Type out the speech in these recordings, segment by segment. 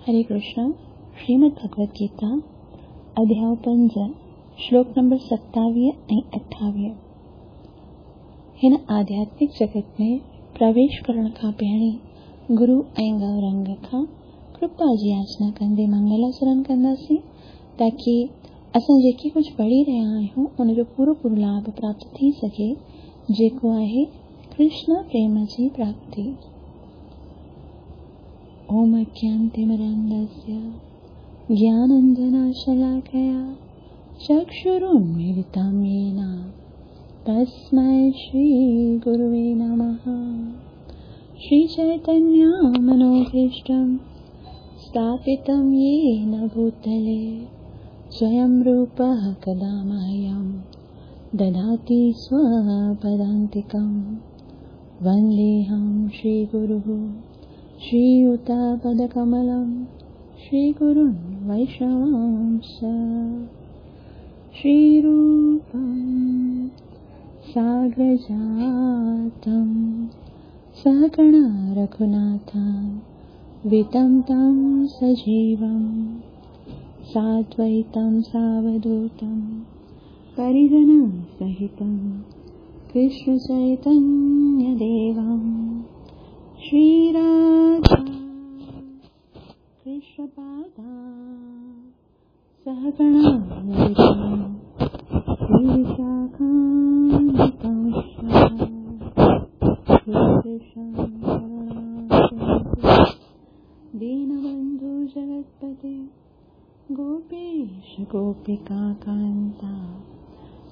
हरे कृष्ण। श्रीमद् भगवत गीता अध्याय 5 श्लोक नंबर 27 ऐं 28। हिन आध्यात्मिक जगत में प्रवेश करण खां पहिरीं गुरु ऐं गौरंग खां कृपा जी याचना कंदे मंगलाचरण कंदासीं ताकी असां जेके कुझु पढ़ी रहिया आहियूं उनजो पूरो पूरो लाभ प्राप्त थी सघे, जेको आहे कृष्ण प्रेम जी प्राप्ति। ओम अज्ञानतिमिरान्धस्य ज्ञानाञ्जनशलाकया चक्षुरुन्मीलितं येन तस्मै श्रीगुरुवे नमः। श्रीचैतन्यमनोभीष्टं स्थापितं येन भूतले स्वयं रूपः कदा मह्यं ददाति स्वपदान्तिकं। वन्देऽहं श्रीगुरुः श्रीयुतपदकमलं श्रीगुरुन् वैष्णवांश्च। श्रीरूपं साग्रजातं सहगणा रघुनाथं वितं तं सजीवं साद्वैतं सावधूतं परिजनं सहितं कृष्णचैतन्यदेवं। श्रीराधा कृष्णपादा सहगणा ललिता श्रीविशाखान्वितं दीनबन्धु जगत्पते गोपेश गोपिकान्ता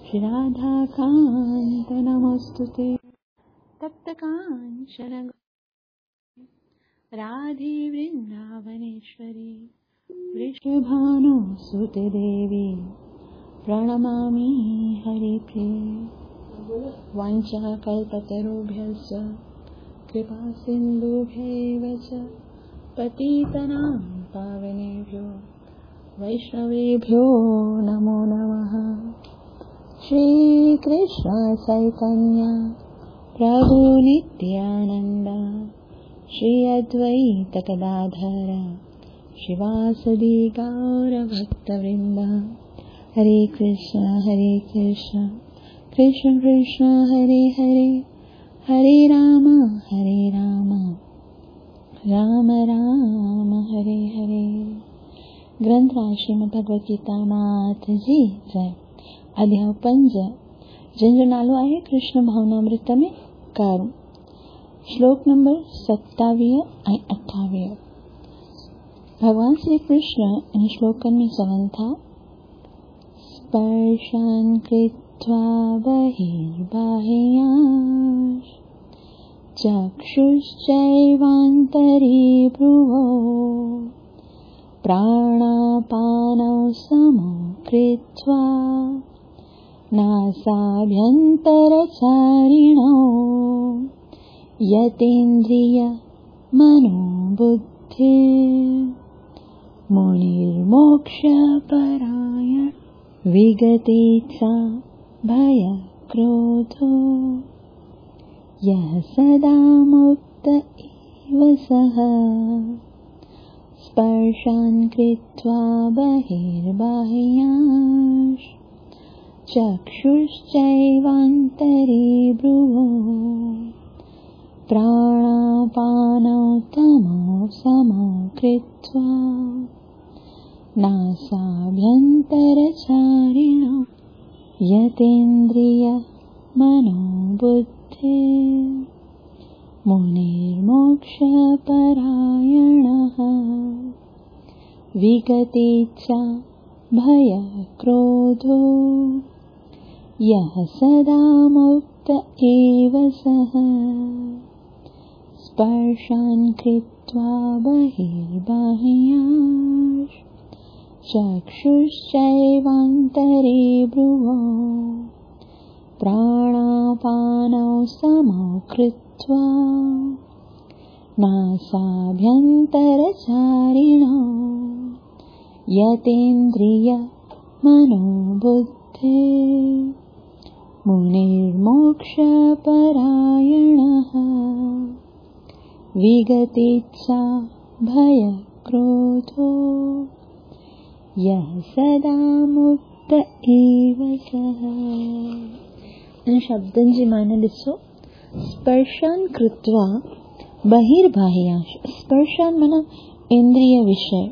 श्रीराधाकान्त नमोऽस्तुते। तप्तकाञ्चन राधे वृन्दावनेश्वरी वृषभानुसुते देवी प्रणमामि हरिप्रिये। वाञ्छाकल्पतरुभ्यश्च कृपासिन्धुभ्यैव च पतितानां पावनेभ्यो वैष्णवेभ्यो नमो नमः। श्रीकृष्ण चैतन्य प्रभु नित्यानन्द श्री अद्वैत गदाधर श्रीवासदि गौरभक्तवृन्द। हरे कृष्ण कृष्ण कृष्ण हरे हरे, हरे राम राम राम हरे हरे। ग्रंथ श्रीमद् भगवत गीता मात जी जय। अध्याय 5 जंहिंजो नालो आहे कृष्ण भावनामृत में कारू। श्लोक नंबर 27 ऐं 28। भॻवान श्री कृष्ण इन श्लोकनि में चवनि था, स्पर्शान् कृत्वा बहिर्बाह्यान् चक्षुश्चैवान्तरे भ्रुवौ प्राणापानौ समौ कृत्वा नासाभ्यन्तरचारिणौ यतेन्द्रिय मनोबुद्धि मुनिर्मोक्षपरायण विगतेच्छा भयक्रोधो यः सदा मुक्त एव सः। स्पर्शान् कृत्वा बहिर्बाह्यान् चक्षुश्चैवान्तरे भ्रुवौ प्राणापानौ तमौ समौ कृत्वा नासाभ्यन्तरचारिणौ यतेन्द्रिय मनोबुद्धि मुनिर्मोक्षपरायणः विगतेच्छा भयक्रोधो यः सदा मुक्त एव सः। स्पर्शान् कृत्वा बहिर्बाह्यान् चक्षुश्चैवान्तरे भ्रुवौ प्राणापानौ समौ कृत्वा नासाभ्यन्तरचारिणौ यतेन्द्रिय मनोबुद्धि मुनिर्मोक्षपरायणः विगतेच्छा भयक्रोधो क्रोधो यः सदा मुक्त एव सः। इन शब्दनि जी माना ॾिसो, स्पर्शान कृत्वा बहिर्बाह्यांश। स्पर्शान माना इंद्रिय विषय,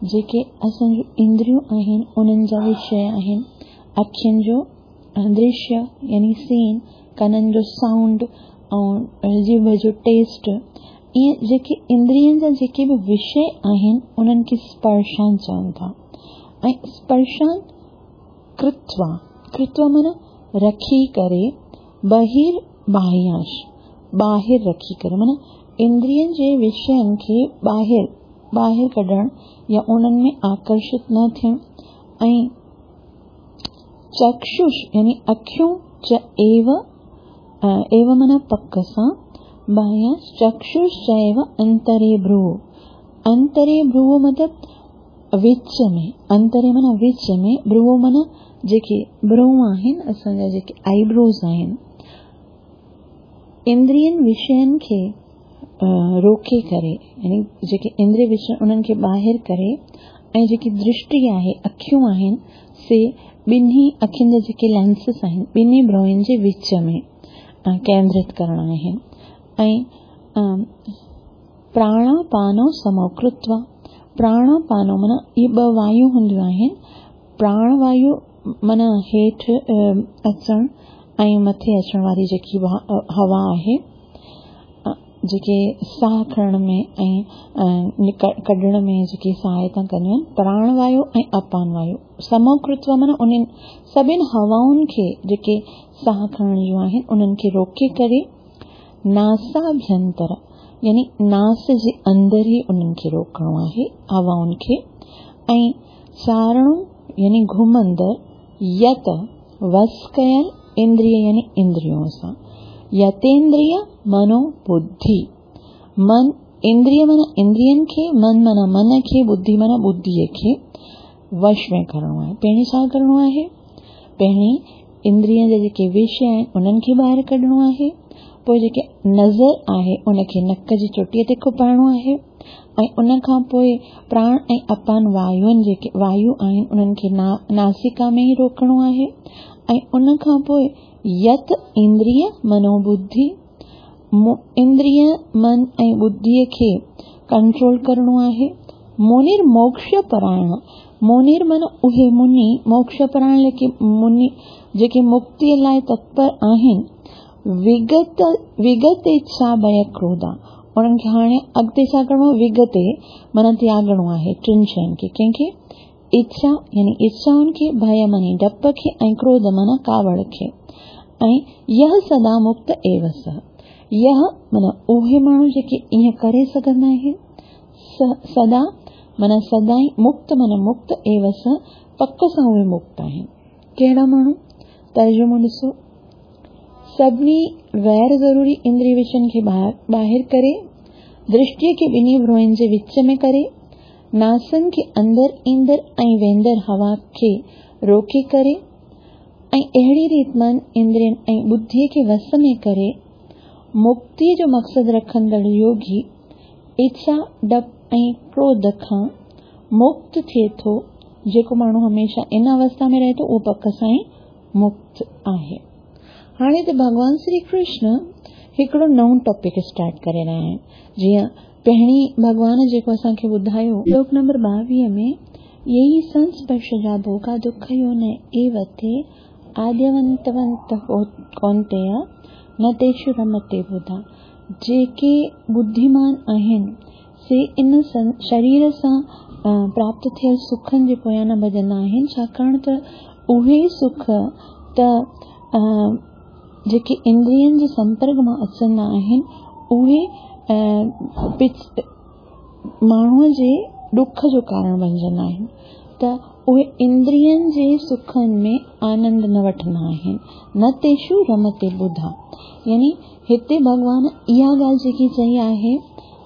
जेके असांजूं इंद्रियूं आहिनि उन्हनि जा विषय आहिनि। अखियुनि जो दृश्य यानी सीन, कननि जो साउंड ऐं जीभ जो टेस्ट, इहे जेके इंद्रियनि जा जेके बि विषय आहिनि उन्हनि खे स्पर्शान चवनि था। ऐं स्पर्शान कृत्वा, कृत्वा माना रखी करे, बहिर् बाह्यांश ॿाहिरि रखी करे, माना इंद्रियनि जे विषयनि खे ॿाहिरि कढणु या उन्हनि में आकर्षित न थियणु। ऐं चक्षुष यानी अखियूं च एव, एव माना पक सां, बाह्यांश चक्षुष च एव अंतरे भ्रू। अंतरे भ्रू मतिलबु विच में, अंतरे माना विच में, भ्रू माना जेके भ्रू आहिनि असांजा जेके आईब्रोज आहिनि। इंद्रियनि विषयनि खे रोके करे, यानी जेके इंद्रिय विषय उन्हनि खे ॿाहिरि करे, ऐं जेकी दृष्टि आहे अखियूं आहिनि से ॿिन्ही अखियुनि जा जेके लेंसिस आहिनि ॿिन्ही भ्रूनि जे विच में केंद्रित करणा आहिनि। ऐं प्राणापानो समो कृत्वा, प्राणापानो माना इहे ॿ वायु हूंदियूं आहिनि, प्राणवायु माना हेठि अचणु ऐं मथे अचण वारी जेकी हवा आहे, जेके साह खणण में ऐं कढण में जेके सहायता कंदियूं आहिनि, प्राणवायु ऐं अपान वायु। समो कृत्वा माना उन्हनि सभिनि हवाउनि खे जेके साह खणण जूं आहिनि उन्हनि खे रोके करे नासाभ्यंतर यानी नास जे अंदरि ई उन्हनि खे रोकणो आहे हवाउनि खे। ऐं चारणो यानी घुमंदड़, यत वस कयल इंद्रिय यानी इंद्रियों सां, यतेंद्रिय मनो बुद्धि, मन इंद्रिय माना इंद्रियनि खे, मन माना मन खे, बुद्धि माना बुद्धीअ खे वश में करणो आहे। पहिरीं छा करणो आहे? पहिरीं इंद्रियनि जा जेके विषय आहिनि उन्हनि खे ॿाहिरि कढणो आहे, पोइ जेके नज़र आहे उनखे नक जी चोटीअ ते खुपाइणो आहे, ऐं उन खां पोइ प्राण ऐं अपान वायुनि जेके वायु आहिनि उन्हनि खे नासिका में ई रोकणो आहे, ऐं उन खां पोइ यत इंद्रिय मनोबुद्धि, इंद्रिय मन ऐं बुद्धीअ खे कंट्रोल करणो आहे। मुनिर मोक्ष परायण, मुनिर माना उहे मुनि, मोक्ष परायण जेके मुनि जेके मुक्तीअ लाइ तत्पर आहिनि, विगत विगत इच्छा भय क्रोधा, उन्हनि खे हाणे अॻिते छा करिणो आहे? विगते माना त्यागणो आहे टिनि शयुनि खे, कंहिंखे? इच्छा यानी इच्छाउनि खे, भय मानी डप खे, ऐं क्रोध माना कावड़ खे। ऐं यह सदा मुक्त एव सह, यह माना उहे माण्हू जेके ईअं करे सघंदा आहिनि, सदा माना सदाई, मुक्त माना मुक्त, एव सह पक सां उहे मुक्त आहिनि। कहिड़ा माण्हू? तर्जुमो ॾिसो, सभिनी गैर ज़रूरी इंद्रिय विषयनि खे ॿाहिरि करे, दृष्टीअ खे ॿिन्ही भ्रूनि जे विच में करे, नासनि खे अंदरि ईंदड़ ऐं वेंदड़ हवा खे रोके करे, ऐं अहिड़ी रीति मन इंद्रियनि ऐं बुद्धीअ खे वस में करे मुक्तीअ जो मक़सदु रखंदड़ योगी इच्छा, डप ऐं क्रोध खां मुक्त थिए थो। जेको माण्हू हमेशह इन अवस्था में रहे थो उहो पक सां ई मुक्त आहे। हाणे त भॻवान श्री कृष्ण हिकिड़ो नओं टॉपिक स्टार्ट करे रहिया आहिनि। जीअं पहिरीं भॻवान जेको असांखे ॿुधायो श्लोक नंबर 22 में, यही संस्पर्शजा भोगा दुख यो न एव ते आद्यवंतवंत कौन्तेय न तेषु रमते बुधा। जेके बुद्धिमान आहिनि से इन शरीर सां प्राप्त थियल सुखनि जे पोयां न भॼंदा आहिनि, छाकाणि त उहे सुख त जेके इंद्रियनि जे संपर्क मां अचंदा आहिनि उहे माण्हूअ जे ॾुख जो कारण बणिजंदा आहिनि, त उहे इंद्रियनि जे सुखनि में आनंद न वठंदा आहिनि। न तेषु रमते बुधा, यानी हिते भॻवान इहा ॻाल्हि जेकी चई आहे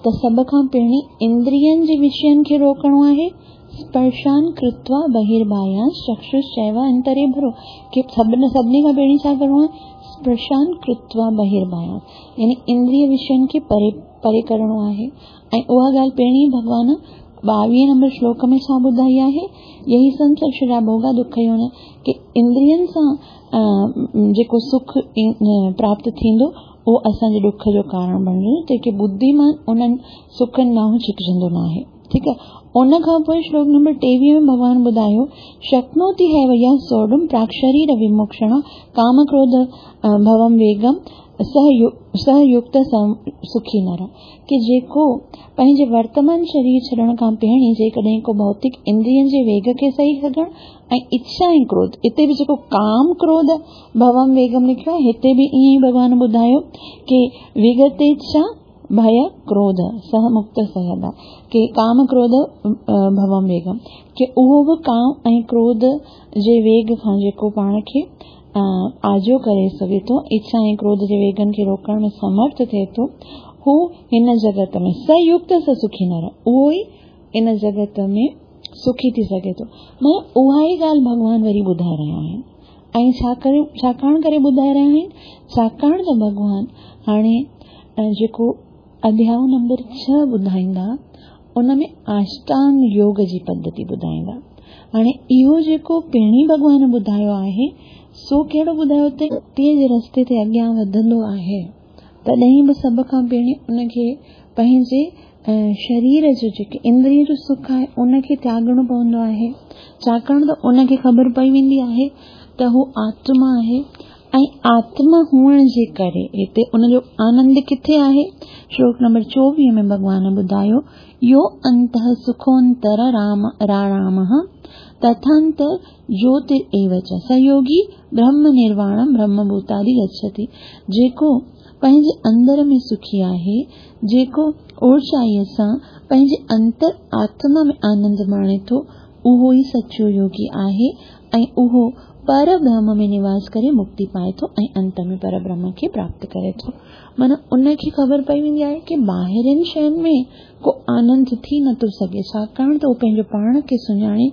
त सभ खां पहिरीं इंद्रियनि जे विषयनि खे रोकणो आहे। स्पर्शान कृत्वा बहिर्बाह्यांश चक्षुश्चैव अंतरे भ्रू, की सभिनी खां पहिरीं छा करिणो आहे? स्पर्शान कृत्वा बहिर्बाह्यांश, यानी इंद्रिय विषयनि खे परे परे करिणो आहे। ऐं उहा ॻाल्हि पहिरीं भॻवान 22 نمبر شلوڪ ۾ ڇا ٻڌائي آهي؟ يهي سنسرشرا ڀوڳا دک يون ڪي اندرين سان جيڪو سک پراپت ٿيندو اهو اسان جي ڏک جو ڪارڻ بڻجندو، تنهن کي ٻڌيمان انهن سکن ڏانهن ڇڪجندو ناهي. ٺيڪ آهي. ان کان پوء شلوڪ نمبر 23 ۾ ڀڳوان ٻڌايو، شڪنوتي هيو يا سوڍم پراڪ شرير وموڪشڻ ڪام ڪروڌ ڀوم ويگم سه يڪت سکي نر، ڪي جيڪو پنهنجي ورتمان شرير ڇڏڻ کان پهرين جيڪڏهن ڪو ڀوتڪ اندرين جي ويگ کي سهي سگهڻ ۽ اڇا ۽ ڪروڌ، اتي به جيڪو ڪام ڪروڌ ڀوم ويگم لکيو آهي هتي به ائين ئي ڀڳوان ٻڌايو ڪي وگت اڇا ڀي ڪروڌ سه مڪت سهدا، ڪي ڪام ڪروڌ ڀوم ويگم، ڪي اهو به ڪام ۽ ڪروڌ جي ويگ کان جيڪو پاڻ کي آجو ڪري سگهي ٿو، اڇا ۽ ڪروڌ جي ويگن کي روڪڻ ۾ سمرٿ ٿئي ٿو، هو هن جڳت ۾ س يڪت س سکي نر، اهو ئي ان جڳت ۾ سکي ٿي سگهي ٿو. معنيٰ اها ئي ڳالهه ڀڳوان وري ٻڌائي رهيا آهن. ۽ ڇا ڪري ڇاڪاڻ ڪري ٻڌائي رهيا آهن؟ ڇاڪاڻ ته ڀڳوان هاڻي جيڪو اڌياء نمبر 6 ٻڌائيندا ان ۾ آشٽانگ يوگ جي پڌتي ٻڌائيندا. هاڻي اهو جيڪو پهرين ڀڳوان ٻڌايو آهي سو ڪهڙو ٻڌايو ته مڪتيء جي رستي تي اڳيان وڌندو آهي تڏهن به سڀ کان پهرين ان کي پنهنجي شرير جو جيڪي اندرين جو سک آهي ان کي تياڳڻو پوندو آهي، ڇاڪاڻ ته ان کي خبر پئي ويندي آهي ته هو آتما آهي ۽ آتما هئڻ جي ڪري هتي ان جو آنند ڪٿي آهي؟ شلوڪ نمبر 24 ۾ ڀڳوان ٻڌايو، يو انتهه سکونتر رام راڻامه تٿانتر جوتر ايو چ س يوگي برهم نرواڻم برهم ڀوتادي گڇتي. جيڪو پنهنجي اندر ۾ سکي آهي، جيڪو اورچائيء سان پنهنجي انتر آتما ۾ آنند ماڻي ٿو، اهو ئي سچو يوگي آهي ۽ اهو پر برهم ۾ نواس ڪري مڪتي پائي ٿو ۽ انت ۾ پر برهم کي پراپت ڪري ٿو. معنيٰ ان کي خبر پئي ويندي آهي ڪي ٻاهرين شين ۾ ڪو آنند ٿي نٿو سگهي، ڇاڪاڻ ته هو پنهنجو پاڻ کي سڃاڻي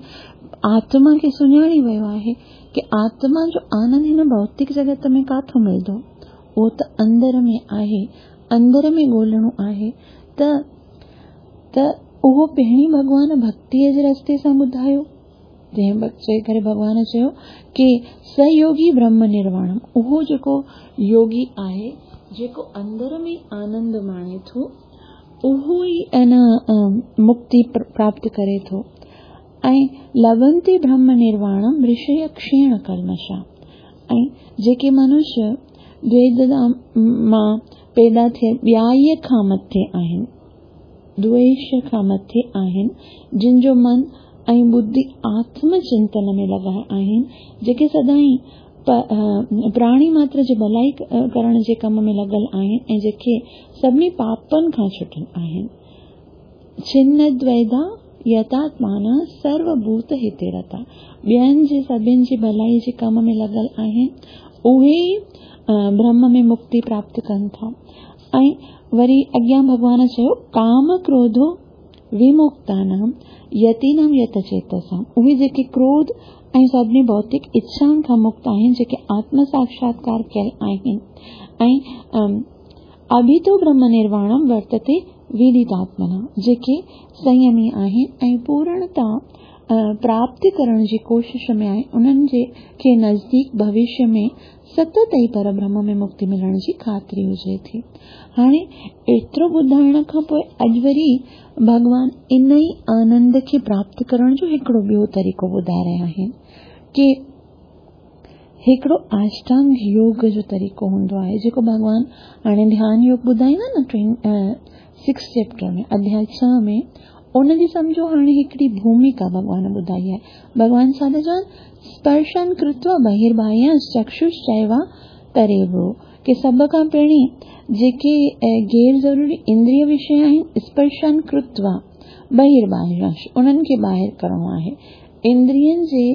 آتما کي سڃاڻي ويو آهي ڪي آتما جو آنند هن ڀوتڪ جڳت ۾ ڪاٿو ملندو، اهو ته اندر ۾ آهي، اندر ۾ ڳولڻو آهي ته ته اهو پهرين ڀڳوان ڀڳتيء جي رستي سان ٻڌايو. تنهن چئي ڪري ڀڳوان چيو ڪي س يوگي برهم نرواڻم، اهو جيڪو يوگي آهي جيڪو اندر ۾ آنند ماڻي ٿو اهو ئي ان مڪتي پراپت ڪري ٿو. ۽ لڀنتي برهم نرواڻم رشي ڪشيڻ ڪلمشا، ۽ جيڪي منش دويد مان پيدا ٿيل ٻيائيء کان مٿي آهن، دويش کان مٿي آهن، جن جو من ۽ ٻڌي آتم چنتن ۾ لڳل آهن، جيڪي سدائين پراڻي ماتر جي ڀلائي ڪرڻ جي ڪم ۾ لڳل آهن ۽ جيڪي سڀني پاپن کان ڇٽل آهن. ڇن دويدا يتاتمانا سرو ڀوت هتي رتا، ٻين جي سڀن جي ڀلائي جي ڪم ۾ لڳل آهن، اهي ئي برهم ۾ مڪتي پراپت ڪن ٿا. ۽ وري اڳيان ڀڳوان چيو، ڪام ڪروڌو ومڪتانام يتينام يت چيتسام، اهي جيڪي ڪروڌ ۽ سڀني ڀوتڪ اڇائن کان مڪت آهن، جيڪي آتم ساڪشاتڪار ڪيل آهن ۽ اڀيتو برهم نرواڻم ورتتي ويديتاتمنا، جيڪي سنيمي آهن ۽ پورڻتا پراپت ڪرڻ جي ڪوشش ۾ آهن، انهن جي کي نزديڪ ڀوشيه ۾ ستت ئي پربرهم ۾ مڪتي ملڻ جي خاطري هجي ٿي. هاڻي ايترو ٻڌائڻ کان پوء اڄ وري ڀڳوان ان ئي آنند کي پراپت ڪرڻ جو هڪڙو ٻيو طريقو ٻڌائي رهيا آهن ڪي هڪڙو آشٽانگ يوگ جو طريقو هوندو آهي جيڪو ڀڳوان هاڻي ڌيان يوگ ٻڌائيندا نه ٽين سڪس چيپٽر ۾ اڌياء 6 ۾ ان جي سمجهو هاڻي هڪڙي ڀوميڪا ڀڳوان ٻڌائي آهي. ڀڳوان ڇا ٿا چون؟ سپرشن ڪرتوا بهرباهيان چڪشوشچيوا تريبو، ڪي سڀ کان پهرين جيڪي غير ضروري اندريه وشي آهن سپرشن ڪرتوا بهرباهيان انهن کي ٻاهر ڪرڻو آهي، اندرين جي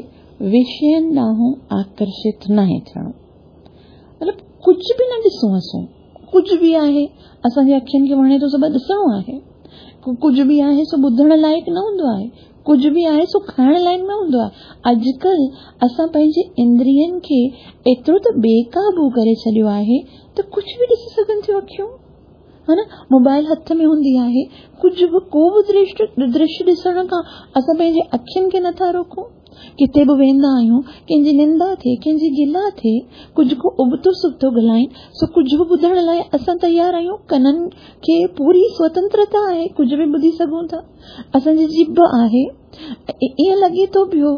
وشين ڏانهن آڪرشت ناهي ٿيڻو. مطلب ڪجهه به نه ڏسون اسون، ڪجهه به آهي اسان جي اکين کي وڻي ٿو سو بس ڏسڻو آهي، ڪجهه به آهي سو ٻڌڻ لائق نه هوندو آهي، ڪجهه به آهي سو کائڻ لائق نه هوندو آهي. اڄڪلهه اسان پنهنجي اندرين کي ايترو ته بي قابو ڪري ڇڏيو آهي ته ڪجهه به ڏسي سگهن ٿيون اکيون. ها نه موبائل هٿ ۾ هوندي آهي، ڪجهه به ڪو به درشيه ڏسڻ کان اسان پنهنجي اکين کي نٿا روڪون. ڪٿي به ويندا آهيون، ڪنهن جي نندا ٿئي، ڪنهن جي گلا ٿئي، ڪجهه ڪو ابتو سبتو ڳالهائين، سو ڪجهه به ٻڌڻ لاء اسان تيار آهيون. ڪنن کي پوري سوتنترتا آهي، ڪجهه به ٻڌي سگهون ٿا. اسان جي ڄڀ آهي، ائين لڳي ٿو پيو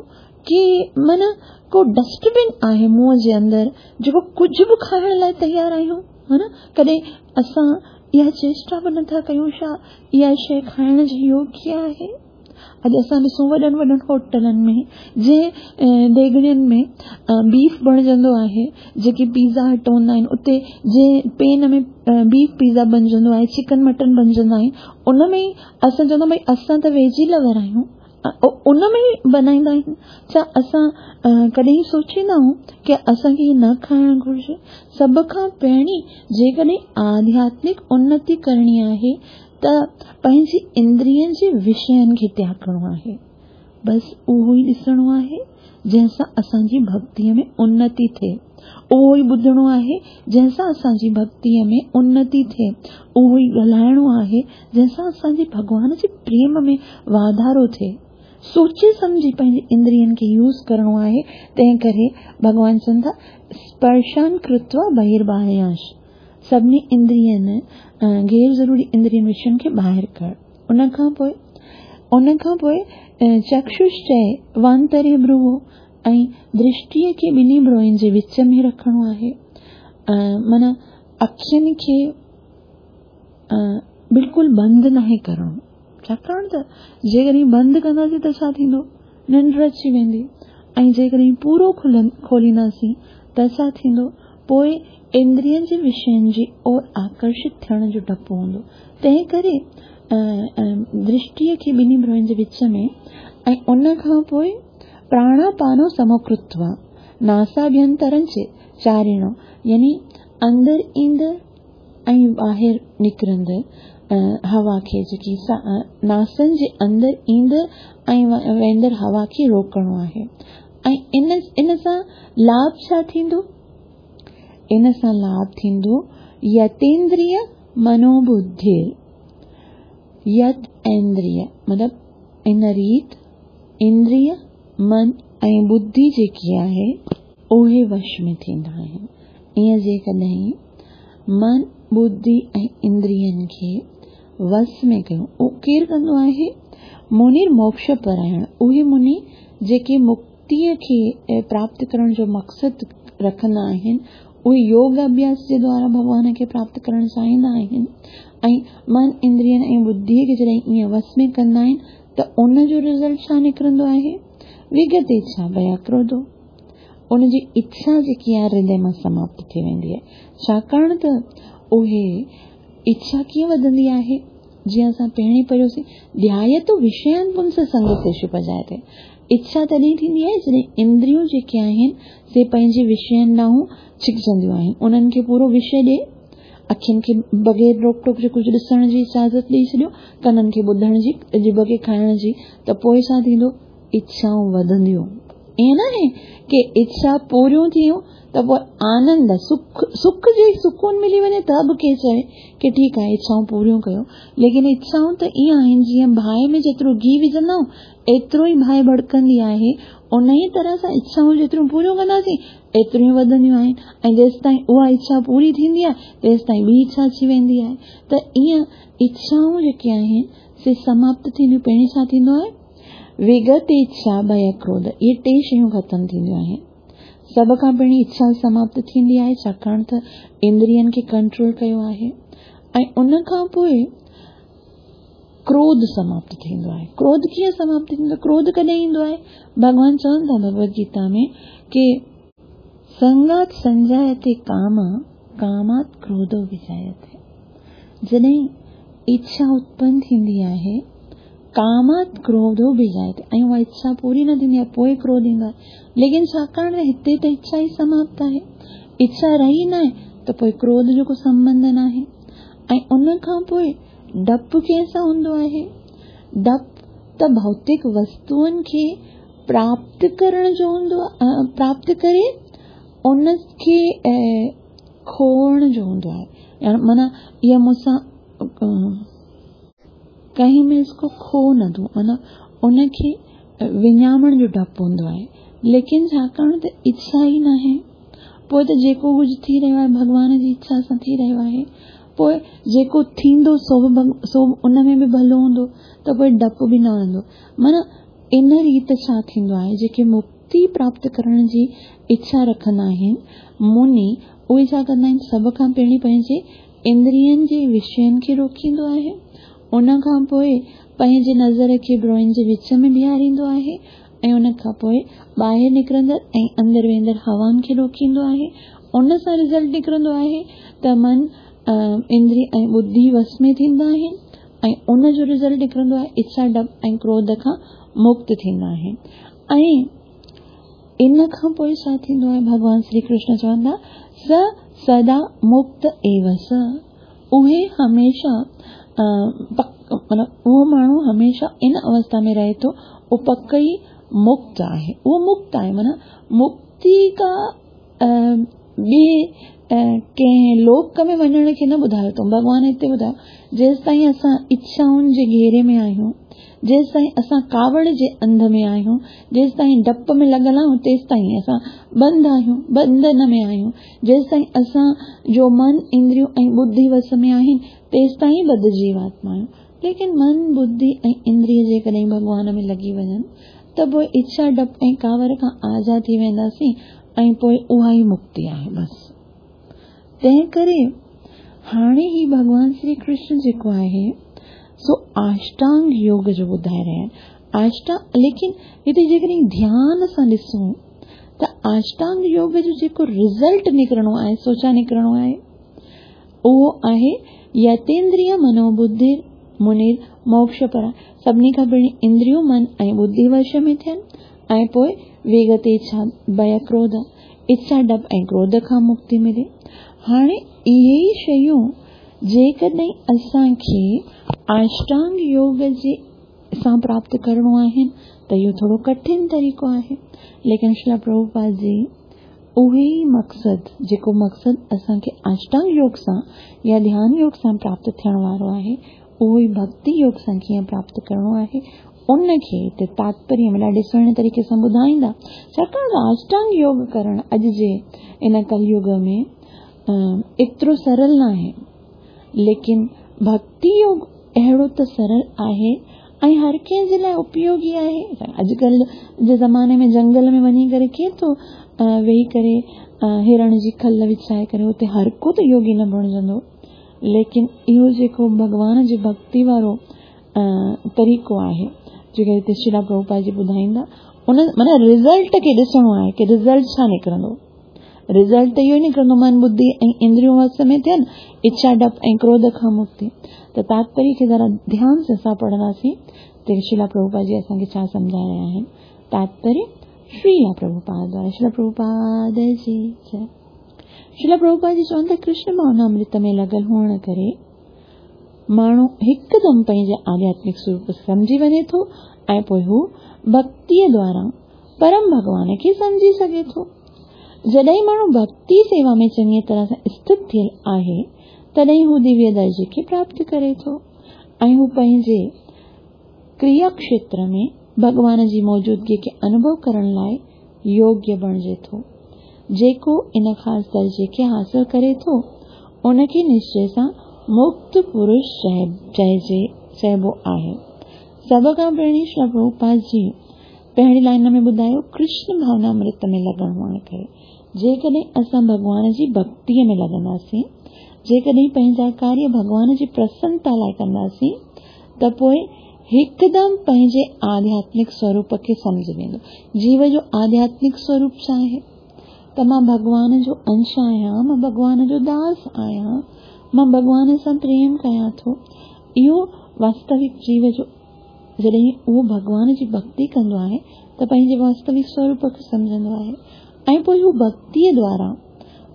ڪي معنيٰ ڪو ڊسٽ بن آهي منهن جي اندر، جيڪو ڪجهه به کائڻ لاء تيار آهيون. ها نه، ڪڏهن اسان اها چيشٽا به نٿا ڪيون ڇا اها شيء کائڻ جي يوگيه آهي؟ اڄ اسان ڏسون وڏن وڏن هوٽلن ۾ جنهن ديڳڙين ۾ بيف بڻجندو آهي، جيڪي پيزا هٽ هوندا آهن اتي جنهن پين ۾ بيف پيزا بڻجندو آهي، چڪن مٽن بڻجندا آهن، ان ۾ ئي اسان چوندا ڀئي اسان ته ويجي لور آهيون، ان ۾ ئي بنائيندا آهن. ڇا اسان ڪڏهن سوچيندا آهيون ڪي اسان کي هي نه کائڻ گهرجي؟ سڀ کان پهرين جيڪڏهن آڌياتمڪ انتي ڪرڻي آهي ته پنهنجي اندرين جي وشين کي تياڳڻو آهي. بس اهو ئي ڏسڻو آهي جنهن سان اسان جي ڀڳتيء ۾ انتي ٿئي. اهو ئي ٻڌڻو آهي جنهن سان اسان جي ڀڳتيء ۾ انتي ٿئي. اهو ئي ڳالهائڻو آهي جنهن سان اسان جي ڀڳوان جي پريم ۾ واڌارو ٿئي. سوچي سمجهي پنهنجي اندرين کي يوز ڪرڻو آهي. تنهن ڪري ڀڳوان چون ٿا اسپرشان ڪرتوا بهرباهيانش، سڀني اندرين غير ضروري اندرين وشين کي ٻاهر ڪر. ان کان پوء ان کان پوء چڪشش چئي وانتري ڀروو ۽ درشٽيء کي ٻنهي ڀروئن جي وچ ۾ رکڻو آهي. معنيٰ اکين کي بلڪل بند ناهي ڪرڻو، ڇاڪاڻ ته جيڪڏهن بند ڪنداسين ته ڇا ٿيندو؟ ننڊ اچي ويندي ۽ جيڪڏهن پورو کولينداسين ته ڇا ٿيندو؟ پوء اندرين جي وشين جي اور آڪرشت ٿيڻ جو ڊپ هوندو. تنهن ڪري درشٽيء کي ٻنهي ڀروئن جي وچ ۾ ۽ ان کان پوء پراڻاپانو سموڪرتوا ناساڀينترن چاريڻو يعني اندر ايندڙ ۽ ٻاهر نڪرندڙ هوا کي جيڪي ناسن جي اندر ايندڙ ۽ ويندڙ هوا کي روڪڻو آهي ۽ ان سان لاڀ ڇا ٿيندو؟ ان سان لاڀ ٿيندو يتيندريه منوبڌير يت ايندريه مطلب ان ريت اندريه من ۽ ٻڌي جيڪي آهي اهي وش ۾ ٿيندا آهن. ائين جيڪڏهن من، ٻڌي ۽ اندرين کي وس ۾ ڪيون، اهو ڪير ڪندو آهي؟ منير موڪش پرائڻ، اهي مني جيڪي مڪتيء کي پراپت ڪرڻ جو مقصد رکندا آهن، اهي يوگ اڀياس جي دوارا ڀڳوان کي پراپت ڪرڻ چاهيندا آهن ۽ من، اندرين ۽ ٻڌيء کي جڏهن ائين وس ۾ ڪندا آهن ته ان جو رزلٽ ڇا نڪرندو آهي؟ وگت اڇا ڀيا ڪروڌو. ان جي اڇا جيڪي آهي هردي مان سماپت ٿي ويندي آهي. ڇاڪاڻ ته اهي اڇا ڪيئن وڌندي آهي؟ جيئن اسان پهرين پڙهيوسين، ڌيايتو وشيان پنس سنگ سيشو پجائتي. اڇا تڏهن ٿيندي آهي جڏهن اندريون جيڪي آهن سي پنهنجي وشين ڏانهن ڇڪجنديون آهن. انهن کي پورو وشي ڏي، اکين کي بغير روڪ ٽوڪ جي ڪجهه ڏسڻ جي اجازت ڏئي ڇڏيو، ڪنن کي ٻڌڻ جي، ڄڀ کي کائڻ جي ته پوء ڇا ٿيندو؟ اڇائون وڌنديون. ائين ناهي ڪي اڇا پوريون ٿيون ته پوء آنند، سک، سک جي سڪون ملي وڃي ته به ڪي چوي ڪي ٺيڪ آهي اڇائون پوريون ڪيو، ليڪن اڇائون ته ائين آهن جيئن باهه ۾ جيترو گيهه وجهندا آهيون ايترو ئي باهه ڀڙڪندي آهي، انهيء طرح سان اڇائون جيتريون پوريون ڪنداسين ايتريون ئي وڌنديون آهن ۽ جيستائين اها اڇا پوري ٿيندي آهي تيستائين ٻي اڇا اچي ويندي آهي ته ائين اڇائون جيڪي آهن سي سماپت ٿينديون. پهرين ڇا ٿيندو آهي؟ وگت اڇا، ڀي ڪروڌ، اهي ٽي شيون ختم ٿينديون آهن. سڀ کان پهرين اڇا سماپت ٿيندي آهي ڇاڪاڻ ته اندرين کي ڪنٽرول ڪيو آهي ۽ ان کان پوء ڪروڌ سماپت ٿيندو آهي. ڪروڌ ڪيئن سماپت ٿيندو؟ ڪروڌ ڪڏهن ايندو آهي؟ ڀڳوان چون ٿا ڀڳوت گيتا ۾ ڪي سنگات سنجايتي ڪام ڪامات ڪروڌو وجايتي. جڏهن اڇا اتپن ٿيندي آهي، ڪامات ڪروڌو به جائتي ۽ اها اڇا پوري نه ٿيندي آهي پوء ڪروڌ ايندو آهي. ليڪن ڇاڪاڻ ته هتي ته اڇا ئي سماپت آهي، اڇا رهي ناهي ته پوء ڪروڌ جو ڪو سنٻنڌ ناهي. ۽ ان کان پوء ڊپ ڪنهن سان هوندو آهي؟ ڊپ ته ڀوتڪ وستوئن کي پراپت ڪرڻ جو هوندو آهي، پراپت ڪري ان کي کوئڻ جو هوندو آهي. يعني معنيٰ اها مون سان कहीं मैं इसको खो न दूं, माना उनखे विञावण जो डपु हूंदो आहे। लेकिन छाकाणि त इच्छा ई नाहे, पोइ त जेको कुझु थी रहियो आहे भॻवान जी इच्छा सां थी रहियो आहे, पोइ जेको थींदो सो बि उन में बि भलो हूंदो, त पोइ डपु बि न रहंदो। माना इन रीत छा थींदो आहे, जेके मुक्ति प्राप्त करण जी इच्छा रखंदा आहिनि मुनि, उहे छा कंदा आहिनि, सभ खां पहिरीं पंहिंजे इंद्रियनि जे विषयनि खे रोकींदो आहे, उन खां पोइ पंहिंजे नज़र खे भ्रोइनि जे विच में बीहारींदो आहे ऐं उन खां पोइ ॿाहिरि निकिरंदड़ ऐं अंदरि वेंदड़ हवाउनि खे रोकींदो आहे। उन सां रिज़ल्ट निकिरंदो आहे त मन, इंद्रिय ऐं बुद्धि वश में थींदा आहिनि ऐं उन जो रिज़ल्ट निकिरंदो आहे इच्छा, डपु ऐं क्रोध खां मुक्त थींदा आहिनि। ऐं इन खां पोइ छा थींदो आहे, भॻवान श्री कृष्ण चवंदा स सदा मुक्त एव स, उहे हमेशा माना उहो माण्हू हमेशा इन अवस्था में रहे थो, उहो पक ई मुक्त आहे, उहो मुक्त आहे। माना मुक्ति का ॿिए कंहिं लोक में वञण खे न ॿुधायो अथऊं, भॻवान हिते ॿुधायो जेसि ताईं असां इच्छाउनि जे घेरे में आहियूं, जेसि ताईं असां कावड़ जे अंध में आहियूं, जेसि ताईं डप में लॻल आहियूं, तेसि ताईं असां बंद आहियूं, बंधन में आहियूं, जेसि ताईं असां जो मन, इंद्रियूं ऐं बुद्धि वश में आहिनि, तेसि ताईं बद जीवात्मा आहियूं। लेकिन मन, बुद्धि ऐं इंद्रिय जेकॾहिं भॻवान में लॻी वञनि त पोइ इच्छा, डपु ऐं कावड़ खां आज़ाद थी वेंदासीं ऐं पोइ उहा ई मुक्ति आहे बसि। तंहिं करे हाणे ही भॻवान श्री कृष्ण जेको आहे सो अष्टांग योग जो ॿुधाए रहिया आहिनि। अष्टांग, लेकिन हिते जेकॾहिं ध्यान सां ॾिसूं त अष्टांग योग जो जेको रिज़ल्ट निकिरणो आहे, सो छा निकिरणो आहे, उहो आहे यतेंद्रिय मनोबुद्धि मुनिर मोक्ष पर। सभिनी खां पहिरीं इंद्रियूं, मन ऐं बुद्धि वश में थियनि ऐं पोइ विगत इच्छा, भय, क्रोध, इच्छा, डपु ऐं क्रोध खां मुक्ति मिले। हाणे इहे ई शयूं जेकॾहिं असांखे अष्टांग योग जे सां प्राप्त करिणो आहिनि त इहो थोरो कठिन तरीक़ो आहे, लेकिन श्रील प्रभुपाद जी उहे ई मक़सदु, जेको मक़सदु असांखे अष्टांग योग सां या ध्यान योग सां प्राप्त थियण वारो आहे, उहो ई भक्ति योग सां कीअं प्राप्त करिणो आहे, उनखे हिते तात्पर्य में ॾाढे सुहिणे तरीक़े सां ॿुधाईंदा। छाकाणि त अष्टांग योग करणु अॼु जे इन कलयुग में एतिरो सरल न आहे, लेकिन भक्ति योग अहिड़ो त सरल आहे ऐं हर कंहिंजे लाइ उपयोगी आहे। अॼुकल्ह जे ज़माने में जंगल में वञी करे कीअं थो वेही करे हिरण जी खल विछाए करे हुते हर को त योगी न बणिजंदो, लेकिन इहो जेको भॻवान जी भक्ति वारो तरीक़ो आहे जेको हिते श्रील प्रभुपाद जी ॿुधाईंदा, उन माना रिज़ल्ट खे ॾिसणो आहे की रिज़ल्ट छा निकिरंदो। रिज़ल्ट त इहो ई निकिरंदो, मन, बुद्धि ऐं इंद्रियूं वश में थियनि, इच्छा, डपु ऐं क्रोध खां मुक्ति। त तात्पर्य खे ज़रा ध्यान सां असां पढ़ंदासीं त श्रील प्रभुपाद जी असांखे छा सम्झाए रहिया आहिनि। तात्पर्य श्रील प्रभुपाद द्वारा, श्रील प्रभुपाद जी जय। श्रील प्रभुपाद जी चवनि था कृष्ण भावनामृत में लॻल हुअण करे माण्हू हिकदमि पंहिंजे आध्यात्मिक स्वरूप सम्झी वञे थो ऐं पोइ हू भक्तीअ द्वारा परम भॻवान खे सम्झी सघे थो। जॾहिं माण्हू भक्ति सेवा में चङी तरह सां स्थित थियल आहे, तॾहिं हू दिव्य दर्जे खे प्राप्त करे थो ऐं हू पंहिंजे क्रिया क्षेत्र में भॻवान जी मौजूदगीअ खे अनुभव करण लाइ योग्य बणिजे थो। जेको इन ख़ासि दर्जे खे हासिल करे थो, उनखे निश्चय सां मुक्त पुरुष चइबो आहे। सभ खां पहिरीं श्री प्रभुपाद जी पहिरीं लाइन में ॿुधायो कृष्ण भावनामृत में लॻण हुअण करे जेकॾहिं असां भॻवान जी भक्तीअ में लॻंदासीं, जेकॾहिं पंहिंजा कार्य भॻवान जी प्रसन्नता लाइ कंदासीं, त पोइ हिकदमि पंहिंजे आध्यात्मिक स्वरूप खे सम्झ वेंदो। जीव जो आध्यात्मिक स्वरूप छा आहे? त मां भॻवान जो अंश आहियां, मां भॻवान जो दास आहियां, मां भॻवान सां प्रेम कयां थो। इहो वास्तविक जीव जो जॾहिं उहो भॻवान जी भक्ति कंदो आहे त पंहिंजे वास्तविक स्वरूप खे सम्झंदो आहे ऐं पोइ हू भक्तीअ द्वारा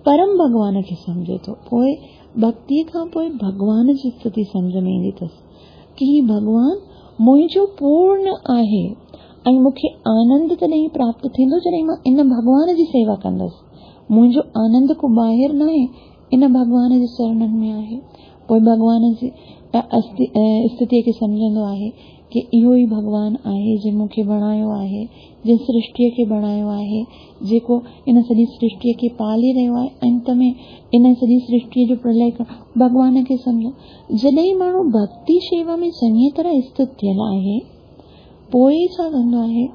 परम भॻवान खे सम्झे थो। पोइ भक्तीअ खां पोइ भॻवान जी स्थिति सम्झ में ईंदी अथसि की ही भॻवान मुंहिंजो पूर्ण आहे ऐं मूंखे आनंद तॾहिं प्राप्त थींदो जॾहिं मां इन भॻवान जी सेवा कंदुसि। मुंहिंजो आनंद को ॿाहिरि न आहे, इन भॻवान जे चरणनि में आहे। पोइ भॻवान जी اسٿتيء کي سمجهندو آهي ڪي اهو ئي ڀڳوان آهي جنهن مون کي بڻايو آهي، جنهن سرشٽيء کي بڻايو آهي، جيڪو ان سڄي سرشٽيء کي پالي رهيو آهي، انت ۾ ان سڄي سرشٽيء جو پرلئه ڪرڻ، ڀڳوان کي سمجهڻ. جڏهن ماڻهو ڀڳتي شيوا ۾ چڱيء طرح اسٿت ٿيل آهي، پوء ڇا ڪندو آهي؟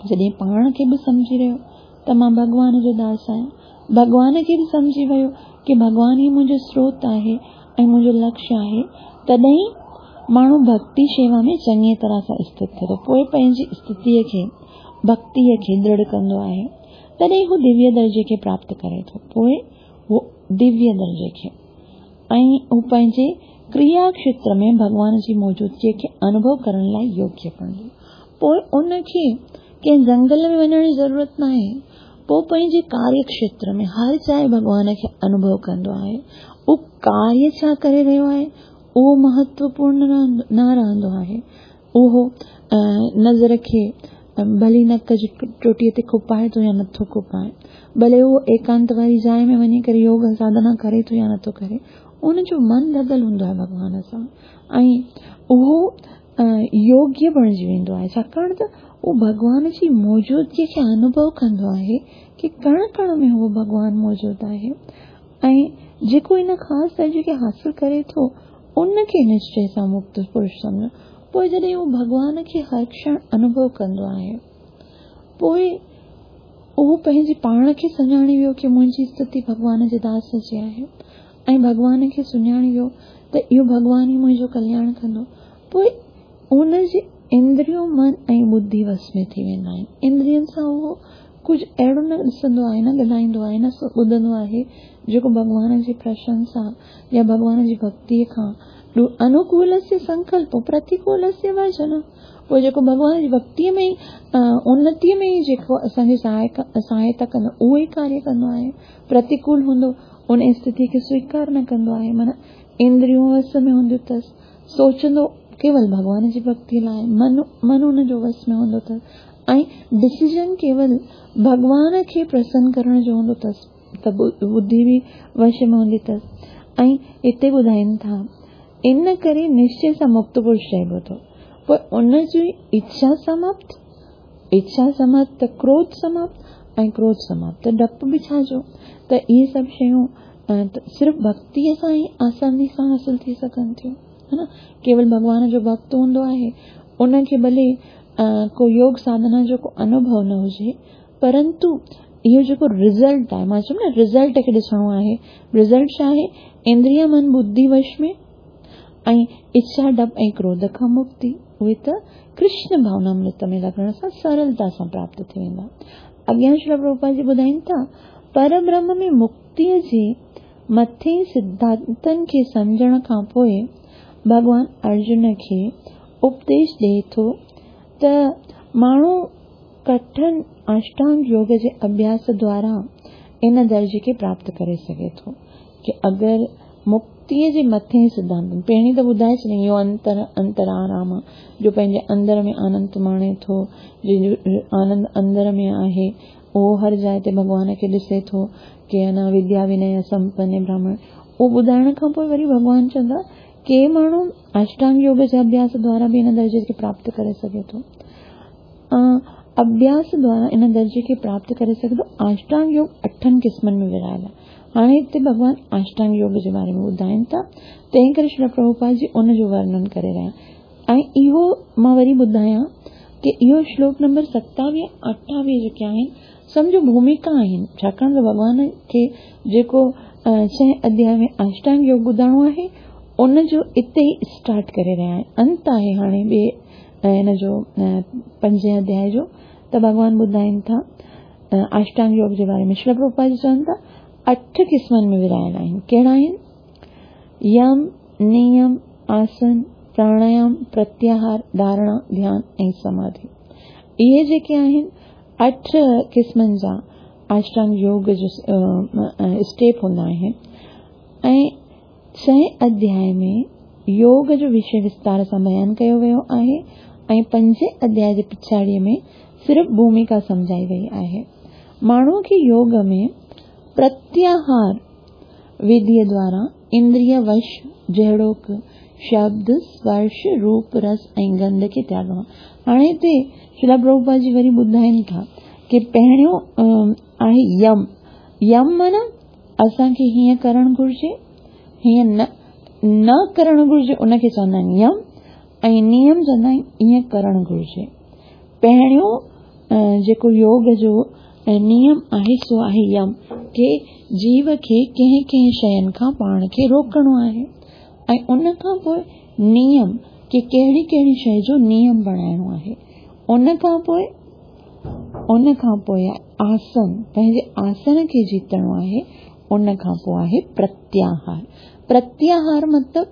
جڏهن پاڻ کي به سمجهي رهيو ته مان ڀڳوان جو داس آهيان، ڀڳوان کي به سمجهي ويو ڪي ڀڳوان ئي منهنجو سروت آهي ۽ منهنجو لڪشيه آهي، تڏهن ماڻهو ڀڳتي شيوا ۾ چڱيء طرح سان اسٿت ٿئي ٿو. پوء پنهنجي اسٿتيء کي، ڀڳتيء کي درڙ ڪندو آهي. تڏهن هو دويه درجي کي پراپت ڪري ٿو. پوء هو دويه درجي کي ۽ هو پنهنجي ڪريا کيتر ۾ ڀڳوان جي موجودگيء کي انوڀو ڪرڻ لاء يوگيه بڻجي. پوء ان کي ڪنهن جنگل ۾ وڃڻ جي ضرورت ناهي. پوء پنهنجي ڪاريه کيتر ۾ هر جاء ڀڳوان کي انوڀو ڪندو آهي. اهو ڪاريه ڇا ڪري رهيو آهي، اهو مهتوپورڻ نه رهندو آهي. اهو نظر کي ڀلي نڪ جي چوٽيء تي کپائي ٿو يا نٿو کپائي، ڀلي اهو ايڪانت واري جاء ۾ وڃي ڪري يوگ ساڌنا ڪري ٿو يا نٿو ڪري، ان جو من لڳل هوندو آهي ڀڳوان سان ۽ اهو يوگيه بڻجي ويندو آهي، ڇاڪاڻ ته اهو ڀڳوان جي موجودگيء کي انوڀو ڪندو آهي ڪي ڪڻ ڪڻ ۾ اهو ڀڳوان موجود آهي ۽ جيڪو ان خاص درجي کي حاصل ڪري ٿو ان کي نشچي سان مڪت پرش سمجهو. پوء جڏهن اهو ڀڳوان کي هر ڪشڻ انوڀو ڪندو آهي پوء اهو پنهنجي پاڻ کي سڃاڻي ويو ڪي منهنجي استٿي ڀڳوان جي داس جي آهي ۽ ڀڳوان کي سڃاڻي ويو ته اهو ڀڳوان ئي منهنجو ڪلياڻ ڪندو. پوء ان جي اندريون من ۽ ٻڌي وس ۾ ٿي ويندا آهن. اندرين سان اهو ڪجهه اهڙو نه ڏسندو آهي، نه ڳالهائيندو آهي، نه ٻڌندو آهي، جيڪو ڀڳوان جي پرشنسا يا ڀڳوان جي ڀڳتيء کان انوڪولسيه سنڪلپو پرتيڪولسيه ورجنم. پوء جيڪو ڀڳوان جي ڀڳتيء ۾ ئي انتيء ۾ ئي جيڪو اسان جي سهائتا ڪندو، اهو ئي ڪاريه ڪندو آهي. پرتيڪول هوندو، ان استٿيء کي سويڪار نه ڪندو آهي. معنيٰ اندريون وس ۾ هونديون اٿس، سوچندو ڪيول ڀڳوان جي ڀڳتيء لاء، من من ان جو وس ۾ هوندو اٿس ۽ ڊسيزن ڪيول ڀڳوان کي پرسن ڪرڻ جو هوندو اٿس ته ٻڌي به وش ۾ هوندي اٿس ۽ هتي ٻڌائين ٿا ان ڪري نشچي سان مڪت پرش چئبو ٿو. پوء ان جي اڇا سماپت، اڇا سماپت ته ڪروڌ سماپت ۽ ڪروڌ سماپت ته ڊپ به ڇا جو؟ ته اهي سڀ شيون صرف ڀڳتيء سان ئي آساني سان حاصل ٿي سگهن ٿيون، ها نه؟ ڪيول ڀڳوان جو ڀڳت هوندو آهي، ان کي ڀلي ڪو يوگ ساڌنا جو ڪو انوڀو نه هجي، پرنتو اهو جيڪو رزلٽ آهي، مان چيم نه رزلٽ کي ڏسڻو آهي، رزلٽ ڇا آهي؟ اندريا من ٻڌي وش ۾ ۽ اڇا ڊپ ۽ ڪروڌ کان مڪتي، اهي ته ڪرشن ڀاونامرت ۾ لڳڻ سان سرلتا سان پراپت ٿي ويندا. اڳيان شريل پرڀوپاد جي ٻڌائين ٿا، پربرهم ۾ مڪتيء جي مٿين سڌانتن کي سمجهڻ کان پوء ڀڳوان ارجن کي اپديش ڏئي ٿو ته ماڻهو ڪٺن اشٽانگ يوگ جي اڀياس دوارا ان درجي کي پراپت ڪري سگهي ٿو ڪي اگر مڪتيء جي مٿين سڌانتن پهرين ته ٻڌائي ڇڏيائين اهو انتر انتر آرام جو پنهنجي اندر ۾ آنند ماڻي ٿو جنهن جو آنند اندر ۾ آهي اهو هر جاء تي ڀڳوان کي ڏسي ٿو ڪي انا وديا ونيه سمپن براهمڻ اهو ٻڌائڻ کان پوء وري ڀڳوان چوندا ڪي ماڻهو اشٽانگ يوگ جي اڀياس دوارا به ان درجي کي پراپت ڪري سگهي ٿو اڀياس دوارا ان درجي کي پراپت ڪري سگهي ٿو. آشٽانگ يوگ اٺن قسمن ۾ ورهايل آهي. هاڻي هتي ڀڳوان آشٽانگ يوگ جي باري ۾ ٻڌائين ٿا، تنهن ڪري شريل پرڀوپاد جي ان جو ورنن ڪري رهيا آهن. ۽ اهو مان وري ٻڌايان ڪي اهو شلوڪ نمبر 27 28 جيڪي آهن سمجهو ڀوميڪا آهن، ڇاڪاڻ ته ڀڳوان کي جيڪو ڇهين اڌياء ۾ آشٽانگ يوگ ٻڌائڻو آهي ان جو اتي ئي اسٽارٽ ڪري رهيا آهن. انت آهي هاڻي ٻئي هن جو پنجين اڌياء جو ته ڀڳوان ٻڌائين ٿا اشٽانگ يوگ جي باري ۾ شريل پرڀوپاد جي چون ٿا اٺ قسمن ۾ ورهايل آهن ڪهڙا آهن يم نيم آسن پراڻايام پرتياهار ڌارڻا ڌيان ۽ سماڌي اهي جيڪي آهن اٺ قسمن جا اشٽانگ يوگ جو اسٽيپ هوندا آهن ۽ ڇهين اڌياء ۾ يوگ جو وشي وستار سان بيان ڪيو ويو آهي ۽ پنجين اڌياء جي پڇاڙيء ۾ صرف ڀوميڪا سمجهائي وئي آهي. ماڻهوء کي يوگ ۾ پرتياهار وڌيء دوارا اندريه وش جهڙوڪ، شبد، سپرش، روپ، رس ۽ گنڌ کي تياڳڻو. هاڻي هتي شريلا پرڀوپاد جي وري ٻڌائين ٿا ڪي پهريون آهي يم. يم معنيٰ اسان کي هيئن ڪرڻ گهرجي، هيئن نه نه ڪرڻ گهرجي ان کي چوندا آهن يم ۽ نيم چوندا آهن ائين ڪرڻ گهرجي. پهريون جيڪو يوگ جو نيم آهي سو آهي يم ڪي جيو کي ڪنهن ڪنهن شين کان پاڻ کي روڪڻو آهي ۽ ان کان پوء نيم ڪي ڪهڙي ڪهڙي شيء جو نيم بڻائڻو آهي ان کان پوء ان کان پوء آسن پنهنجي آسن کي جيتڻو آهي ان کان پوء آهي پرتياهار پرتياهار مطلب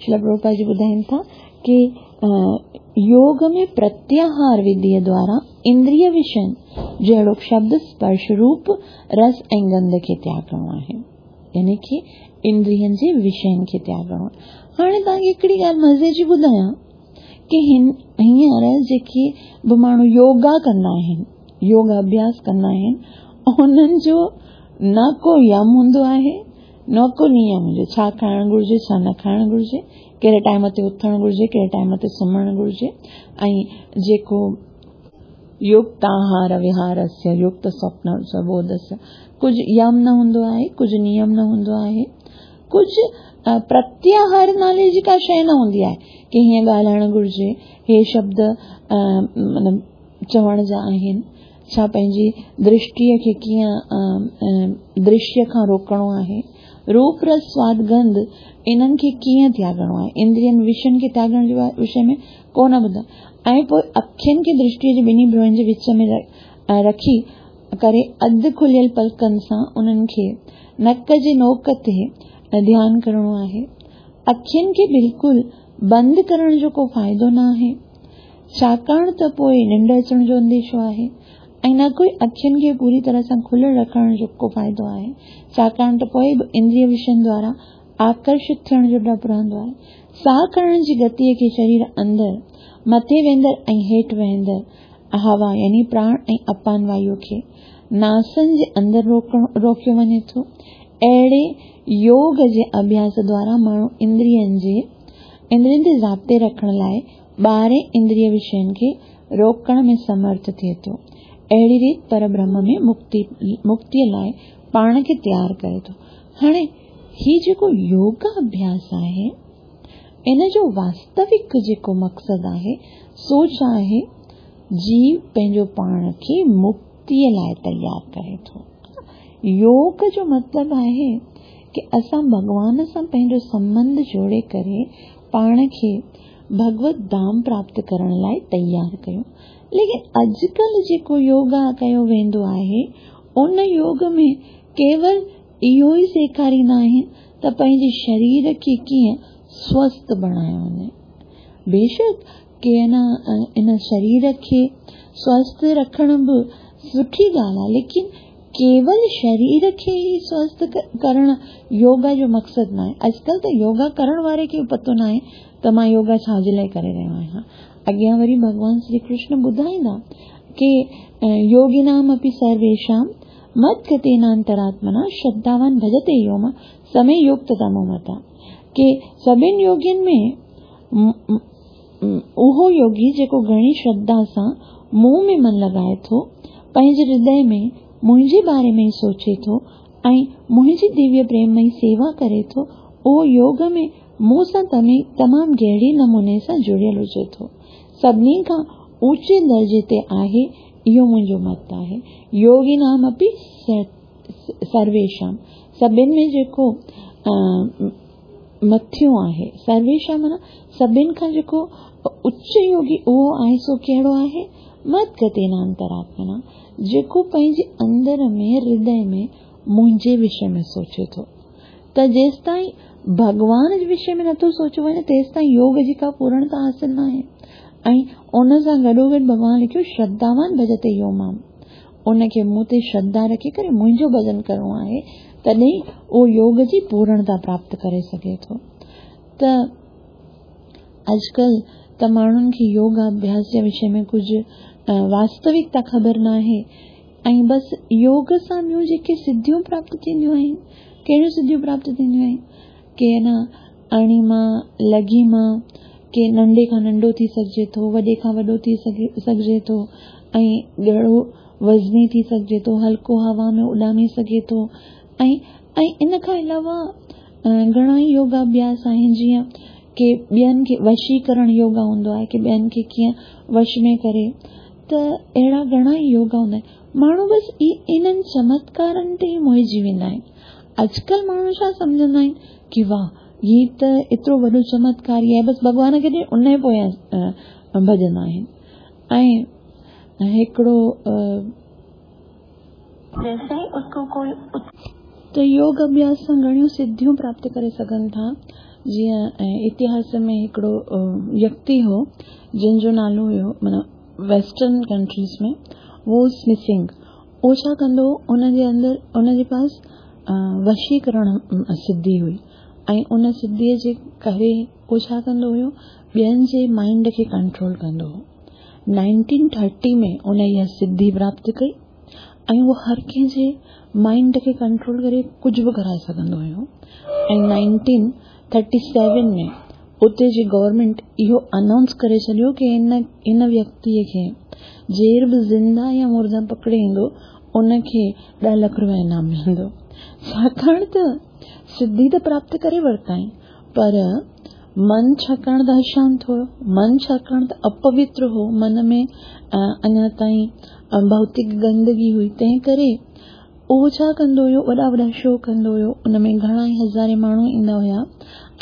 شريلا پرڀوپاد جي ٻڌائين ٿا ڪي يوگ ۾ پرتياهار وڌيء دوارا اندريه وشين جهڙوڪ شبد، سپرش، روپ، رس ۽ گنڌ کي تياڳڻو آهي. يعني ڪي اندرين جي وشين کي تياڳڻو آهي. هاڻي توهان کي هڪڙي ڳالهه مزي جي ٻڌايان ڪي هن هينئر جيڪي به ماڻهو يوگا ڪندا آهن، يوگا اڀياس ڪندا آهن، انهن جو نه ڪو يم هوندو آهي نه ڪو نيم هجي، ڇا کائڻ گهرجي، ڇا نه کائڻ گهرجي، ڪهڙي ٽائيم تي اٿڻ گهرجي، ڪهڙي ٽائيم تي سمهڻ گهرجي ۽ جيڪو يڪت آهار وهارسيه يڪت سوپن سبوڌسيه ڪجهه يم نه هوندو آهي، ڪجهه نيم نه هوندو آهي، ڪجهه پرتياهار نالي جي ڪا شيء نه هوندي آهي ڪي هيئن ڳالهائڻ گهرجي، هي شبد مطلب چوڻ جا آهن. ڇا پنهنجي درشٽيء کي ڪيئن درشيه کان روڪڻو آهي؟ روپ رس سواد گنڌ انهن کي ڪيئن تياڳڻو آهي؟ اندرين وشين کي تياڳڻ جي وشي ۾ ڪو نه ٻڌايو ۽ پوء اکين کي درشٽيء جي ٻنهي ڀروئن جي وچ ۾ رکي ڪري اڌ کليل پلڪن سان انهن کي نڪ جي نوڪ تي ڌيان ڪرڻو آهي. اکين کي بلڪل بند ڪرڻ جو ڪو فائدو نه آهي. ڇاڪاڻ ته پوء ننڊ اچڻ جو انديشو آهي ۽ نه ڪوئي اکين کي پوري طرح سان کليل رکڻ جو ڪو فائدو آهي، ڇاڪاڻ ته پوء به اندريه وشين دوارا آڪرشت ٿيڻ جو ڊپ رهندو آهي. ساهه کڻڻ جي گتيء کي شرير اندر مٿي ويندڙ ۽ هيٺ وهندڙ هوا يعني پراڻ ۽ اپان وايو کي ناسن جي اندر روڪيو وڃي ٿو. اهڙي يوگ جي اڀياس دوارا ماڻهو اندرين جي اندرين تي ضابطي رکڻ لاء ٻاهرين اندريه وشين کي روڪڻ ۾ سمرٿ ٿئي ٿو. اهڙي ريت پربرهم ۾ مڪتيء لاء پاڻ کي تيار ڪري ٿو. هاڻي هي جيڪو يوگا اڀياس آهي، ان جو واستوڪ جيڪو مقصد آهي، سو ڇا آهي؟ جيو پنهنجو پاڻ کي مڪتيء لاء تيار ڪري ٿو. يوگ جو مطلب آهي ڪي اسان ڀڳوان سان پنهنجو سنٻنڌ جوڙي ڪري پاڻ کي ڀڳوت ڌام پراپت ڪرڻ لاء تيار ڪيون. ليڪن اڄڪلهه جيڪو يوگا ڪيو ويندو آهي ان يوگ ۾ ڪيول اهو ئي سيکاريندا آهن ته پنهنجي شرير کي ڪيئن سوسٿ بڻايو وڃي. بيشڪ ڪي ان شرير کي سوسٿ رکڻ به سٺي ڳالهه آهي ليڪن ڪيول شرير کي ئي سوسٿ ڪرڻ يوگا جو مقصد ناهي. اڄڪلهه ته يوگا ڪرڻ واري کي به پتو ناهي ته مان يوگا ڇا جي لاء ڪري رهيو آهيان. اڳيان وري ڀڳوان شري ڪرشن ٻڌائيندا ڪي يوگينام اپي سرويشام مت گتينانتراتمنا شرڌاوان ڀجتي يو مان سمي يوڪتتمو متا ڪي سڀن يوگين ۾ اهو يوگي جيڪو گهڻي شرڌا سان مون ۾ من لڳائي ٿو، پنهنجي هردي ۾ منهنجي باري ۾ ئي سوچي ٿو ۽ منهنجي ديويه پريممئي سيوا ڪري ٿو، اهو يوگ ۾ مون سان تمام گهري نموني سان جڙيل هجي ٿو. سڀني کان اوچي درجي تي آهي، اهو منهنجو مت آهي. يوگينام اپي سرويشام، سڀن ۾ جيڪو مٿيون آهي. سرويشام معنيٰ سڀن کان جيڪو اچ يوگي اهو آهي سو ڪهڙو آهي؟ مت گتينانتراتمنا، جيڪو پنهنجي اندر ۾ هردي ۾ منهنجي وشي ۾ سوچي ٿو. ته جيستائين ڀڳوان جي وشي ۾ نٿو سوچيو وڃي تيستائين يوگ جي ڪا پورڻتا حاصل ناهي ۽ ان سان گڏوگڏ ڀڳوان لکيو شرڌاوان ڀجتي يو مام ان کي مون تي شرڌا رکي ڪري منهنجو ڀڄن ڪرڻو آهي تڏهن اهو يوگ جي پورڻتا پراپت ڪري سگهي ٿو ته اڄڪلهه ته ماڻهن کي يوگ اڀياس جي وشي ۾ ڪجهه واستوڪتا خبر ناهي ۽ بس يوگ سان ٻيون جيڪي سڌيون پراپت ٿينديون آهن، ڪهڙيون سڌيون پراپت ٿينديون آهن؟ ڪي نه اڻيما، لگهيما، ڪي ننڍي کان ننڍو ٿي سگهجي ٿو، وڏي کان وڏو ٿي سگهجي ٿو ۽ ڳرو وزني ٿي سگهجي ٿو، هلڪو هوا ۾ اڏامي سگهي ٿو ۽ ۽ ان کان علاوه گهڻا ئي يوگا اڀياس آهن جيئن ڪي ٻين کي وشيڪرڻ يوگا هوندو آهي ڪي ٻين کي ڪيئن وش ۾ ڪري ته اهڙا گهڻا ئي يوگا هوندا آهن ماڻهو بس انهن چمتڪارن تي ئي موهجي ويندا آهن. اڄڪلهه ماڻهو ڇا سمجهندا آهن ڪي واهه هي ته ايترو وڏو چمتڪار ئي آهي بس ڀڳوان کي ڏئي ان جي پويان ڀڄندا آهن ۽ هڪڙو جيستائين اس ڪو ڪوئي ته يوگ اڀياس سان گهڻيون سڌيون پراپت ڪري سگهن ٿا جيئن اتهاس ۾ هڪڙو ويڪتي هو جنهن جو نالو هيو معنيٰ ويسٽرن ڪنٽريز ۾ ووز مسنگ اهو ڇا ڪندو هو ان جي اندر ان جي پاس وشيڪرڻ سڌي هئي ۽ ان سڌيء جي ڪري اهو ڇا ڪندو هيو ٻين جي مائنڊ کي ڪنٽرول ڪندو هو 1930 ۾ ان اها سڌي پراپت ڪئي ۽ اهو هر ڪنهن جي مائنڊ کي ڪنٽرول ڪري ڪجهه به ڪرائي سگهندو هيو ۽ 1937 ۾ اتي جي گورنمينٽ اهو انائونس ڪري ڇڏيو ڪي ان ان ويڪتيء کي جير به زنده يا مرده پڪڙي ايندو ان کي ڏهه لک روپيا انعام ملندو. ڇاڪاڻ ته سڌي ته پراپت ڪري ورتائين پر من ڇاڪاڻ ته اشانت هيو، من ڇاڪاڻ ته اپوتر هو، من ۾ اڃا تائين ڀوتڪ گندگي هئي تنهن ڪري اهو ڇا ڪندو هيو، وڏا وڏا شو ڪندو هيو، ان ۾ گهڻا ئي هزارين ماڻهو ايندا هيا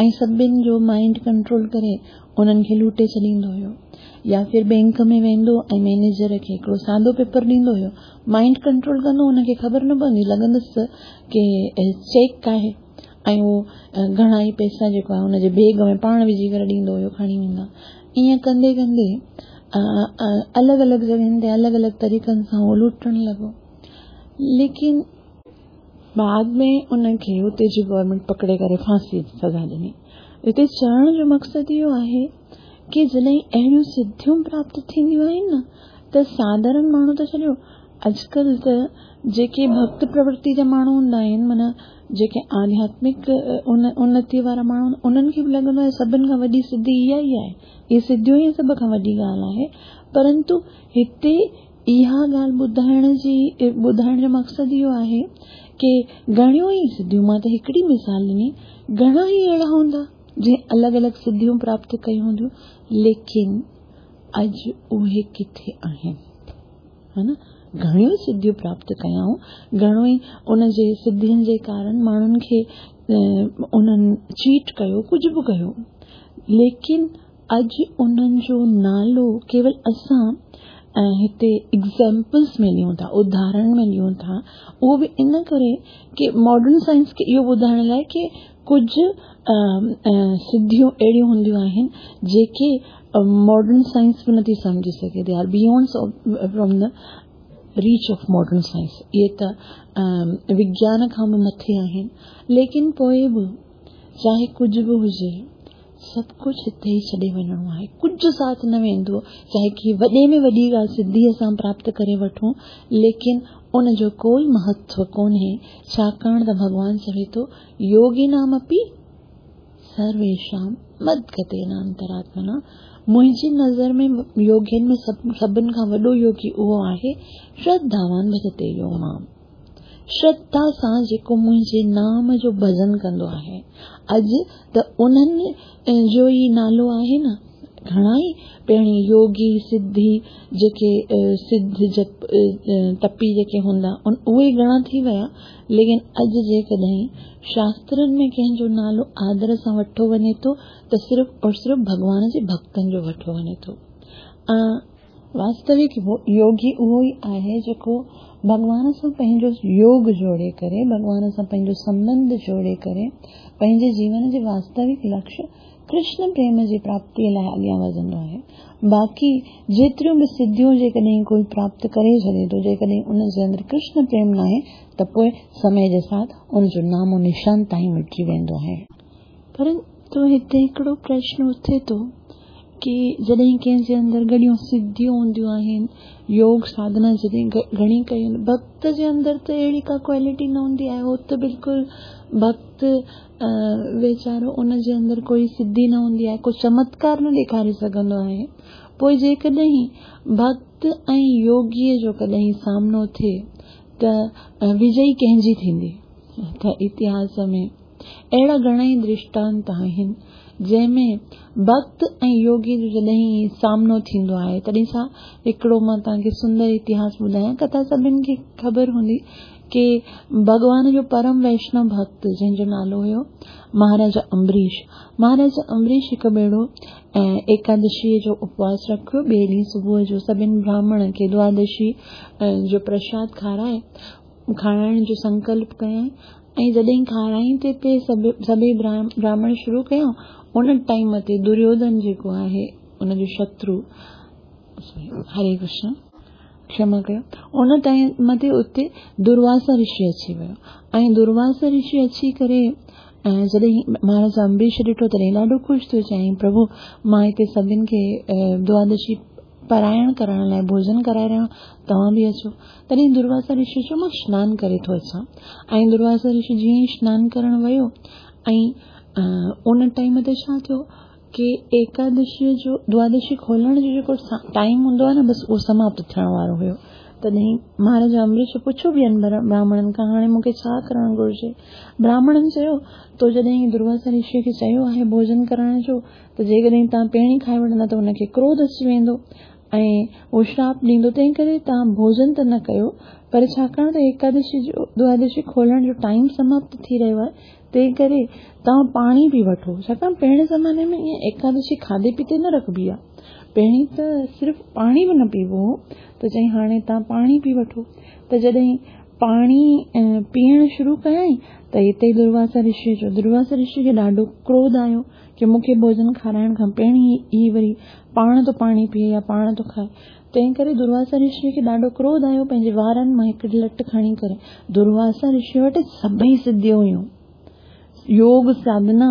۽ سڀن جو مائينڊ ڪنٽرول ڪري انهن کي لوٽي ڇڏيندو هيو. يا ڦر بينڪ ۾ ويندو ۽ مئنيجر کي هڪڙو سادو پيپر ڏيندو هيو، مائينڊ ڪنٽرول ڪندو ان کي خبر نه پوندي لڳندس ته ڪي چيڪ آهي ۽ اهو گهڻا ئي پئسا جيڪو آهي ان جي بيگ ۾ پاڻ وجهي ڪري ڏيندو هيو کڻي ويندا. ائين ڪندي ڪندي الڳ الڳ جڳهين تي الڳ الڳ طريقن سان اهو لوٽڻ لڳو. ليڪن بعد ۾ ان کي اتي جي گورنمينٽ پڪڙي ڪري ڦاسي جي سزا ڏني. هتي چوڻ جو مقصد اهو آهي ڪي جڏهن اهڙيون سڌيون پراپت ٿينديون آهن نه ته ساڌارڻ ماڻهو ته ڇڏيو اڄڪلهه ته جيڪي ڀڳت پرورتي جا ماڻهو هوندا آهن معنيٰ جيڪي آڌياتمڪ انتي وارا ماڻهو انهن کي به لڳندو آهي سڀن کان وڏي سڌي اها ئي آهي اهي سڌيون ئي سڀ کان وڏي ڳالهه آهي پرنتو هتي اها ڳالهه ٻڌائڻ جي ٻڌائڻ جو مقصد اهو آهي ڪي گهڻيون ئي سڌيون مان ته هڪڙي مثال ڏني گهڻا ئي اهڙا هوندا جنهن الڳ الڳ سڌيون پراپت ڪيون هونديون ليڪن اڄ اهي ڪٿي آهن ها نه گهڻيون سڌيون پراپت ڪيائون گهڻو ئي ان جي سڌين جي ڪارڻ ماڻهن کي انهن چيٽ ڪيو ڪجهه به ڪيو ليڪن اڄ انهن جو نالو ڪيول اسان هتي ايگزيمپلس ۾ ڏيون ٿا، اداهرڻ ۾ ڏيون ٿا، اهو به ان ڪري ڪي ماڊرن سائنس کي اهو ٻڌائڻ لاء ڪي ڪجهه سڌيون اهڙيون هونديون آهن جيڪي ماڊرن سائنس به نٿي سمجهي سگهي، they are beyond from the reach of modern science, اهي ته وگيان کان به مٿي آهن، ليڪن پوء به چاهي ڪجهه به هجي سڀ ڪجهه هتي ئي ڇڏي وڃڻو آهي، ڪجهه ساٿ نه ويندو، چاهي ڪي وڏي ۾ وڏي ڳالهه سڌيء سان پراپت ڪري وٺون، ليڪن ان جو ڪوئي مهتو ڪونهي، ڇاڪاڻ ته ڀڳوان چوي ٿو، يوگينامپي سرويشام مدگتين انتراتمنا، منهنجي نظر ۾ يوگين ۾ سڀن کان وڏو يوگي اهو آهي، شرڌاوان ڀجتي يو مام. شرڌا سان جيڪو منهنجي نام جو ڀڄن ڪندو آهي. اڄ ته انهن جو ئي نالو آهي نه. گهڻا ئي پهرين يوگي، سڌي جيڪي سڌ جپ تپي جيڪي هوندا اهي گهڻا ٿي ويا ليڪن اڄ جيڪڏهن شاسترن ۾ ڪنهن جو نالو آدر سان وٺو وڃي ٿو ته صرف اور صرف ڀڳوان جي ڀڳتن جو وٺو وڃي ٿو. واستوڪ يوگي اهو ئي آهي جيڪو ڀڳوان سان پنهنجو يوگ جوڙي ڪري، ڀڳوان سان پنهنجو سنٻنڌ جوڙي ڪري پنهنجي جيون جي واستوڪ لڪش ڪرشن پريم جي پراپتيء لاء اڳيان وڌندو آهي. باقي جيتريون به سڌيون جيڪڏهن ڪوئي پراپت ڪري ڇڏي ٿو، جيڪڏهن ان جي اندر ڪرشن پريم ناهي ته پوء سمي جي ساٿ ان جو نام و نشان تائين مٽجي ويندو آهي. پرنتو هتي هڪڙو پرشن اٿي ٿو ڪي جڏهن ڪنهن جي اندر گهڻيون سڌيون هونديون آهن، يوگ ساڌنا جڏهن گهڻي ڪئي هوندي، ڀڳت جي اندر ته اهڙي ڪا ڪوالٽي نه هوندي آهي، هو ته بلڪل ڀڳت ويچارو ان جي اندر ڪوئي سڌي نه هوندي آهي، ڪو چمتڪار نه ڏيکاري سگهندو آهي. پوء جيڪڏهن ڀڳت ۽ يوگيء جو ڪڏهن سامنو ٿئي ته وجئي ڪنهن جي ٿيندي؟ ته اتهاس ۾ اهڙا گهڻائي درشٽانت آهن، جنهن ۾ ڀڳت ۽ يوگيء جو جڏهن سامنو ٿيندو آهي، تڏهن ڇا هڪڙو مان توهان کي سندر اتهاس ٻڌايان، ڪٿا سڀن کي خبر هوندي ڪي ڀڳوان جو پرم ويشنو ڀڳت جنهن جو نالو هيو مهاراجا امبريش. مهاراجا امبريش هڪ ڀيرو ايڪادشيء جو اپواس رکيو، ٻئي ڏينهن صبح جو سڀن براهمڻن کي دوادشي جو پرشاد کارائي کارائڻ جو سنڪلپ ڪيائين ۽ جڏهن کارائين تي پئي سڀئي براهمڻ شروع ڪيائون، ان ٽائيم تي دريوڌن جيڪو آهي ان جو شترو، هري ڪرشن، ڪشما ڪيو، ان ٽائيم تي اتي درواسا رشي اچي ويو ۽ درواسا رشي اچي ڪري جڏهن مهاراج امبريش ڏٺو تڏهن ڏاڍو خوش ٿيو، چيائين پرڀو مان هتي سڀن کي دوادشي پرائڻ ڪرڻ لاء ڀوڄن ڪرائي رهيو آهيان، توهان به اچو. تڏهن درواسا رشي چيو مان سنان ڪري ٿو اچان ۽ درواسا رشي جيئن ئي سنان ڪرڻ ويو ۽ ان ٽائيم تي ڇا ٿيو ڪي ايڪادشيء جو دوادشي کولڻ جو جيڪو ٽائيم هوندو آهي نه بس اهو سماپت ٿيڻ وارو هيو. تڏهن مهاراجا امبريش پڇيو ٻين براهمڻن کان هاڻي مون کي ڇا ڪرڻ گهرجي؟ براهمڻن چيو تو جڏهن درواسا رشيء کي چيو آهي ڀوڄن ڪرڻ جو ته جيڪڏهن توهان پهرين کائي وٺندا ته هن کي ڪروڌ اچي ويندو ۽ اهو شراپ ڏيندو، تنهن ڪري توهان ڀوڄن ته نه ڪيو، پر ڇاڪاڻ ته ايڪادشي جو دوادشي کولڻ جو ٽائيم سماپت ٿي رهيو آهي، تنهن ڪري توهان پاڻي پي وٺو، ڇاڪاڻ پهرين زماني ۾ ائين ايڪادشي کاڌي پيتي نه رکبي آهي، پهرين ته صرف پاڻي به نه پيئبو هو، ته چيائين هاڻي توهان پاڻي پي وٺو، ته جڏهن پاڻي پيئڻ شروع ڪيائين ته اتي ئي درواسا رشي جو درواسا رشي کي ڏاڍو ڪروڌ آيو ڪي مون کي ڀوڄن کارائڻ کان پهرين ئي وري پاڻ ٿو پاڻي پيئي يا پاڻ ٿو کائي. تنهن ڪري درواسا رشيء کي ڏاڍو ڪروڌ آيو، پنهنجي وارن مان هڪڙي لٽ کڻي ڪري درواسا رشيء وٽ سڀئي سڌيون هيون. يوگ ساڌنا،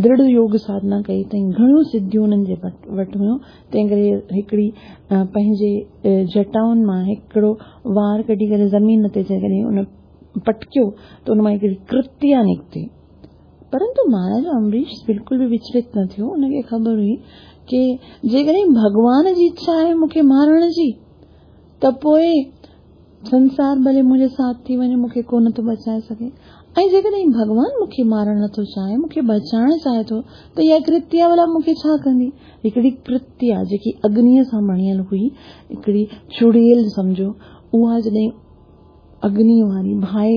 درڙ يوگ ساڌنا ڪئي اٿائين، گهڻيون سڌيون انهن جي وٽ هيون، تنهن ڪري هڪڙي پنهنجي جٽائن مان هڪڙو وار ڪڍي ڪري زمين تي جيڪڏهن ان پٽڪيو ته ان مان هڪڙي ڪرتيا نڪتي. پرنتو مهاراجا امبريش بلڪل به وچلت نه ٿيو. ان کي خبر هئي ڪي جيڪڏهن ڀڳوان جي اڇا آهي مون کي مارڻ جي ته پوء سنسار ڀلي منهنجي ساٿ ٿي وڃي مون کي ڪو نٿو بچائي سگهي ۽ جيڪڏهن ڀڳوان مون کي مارڻ نٿو چاهي مون کي بچائڻ چاهي ٿو ته اها ڪرتيا ڀلا مون کي ڇا ڪندي؟ هڪڙي ڪرتيا جيڪي اگنيء سان بڻيل هئي هڪڙي چڙيل سمجهو اها جڏهن اگني واري باهه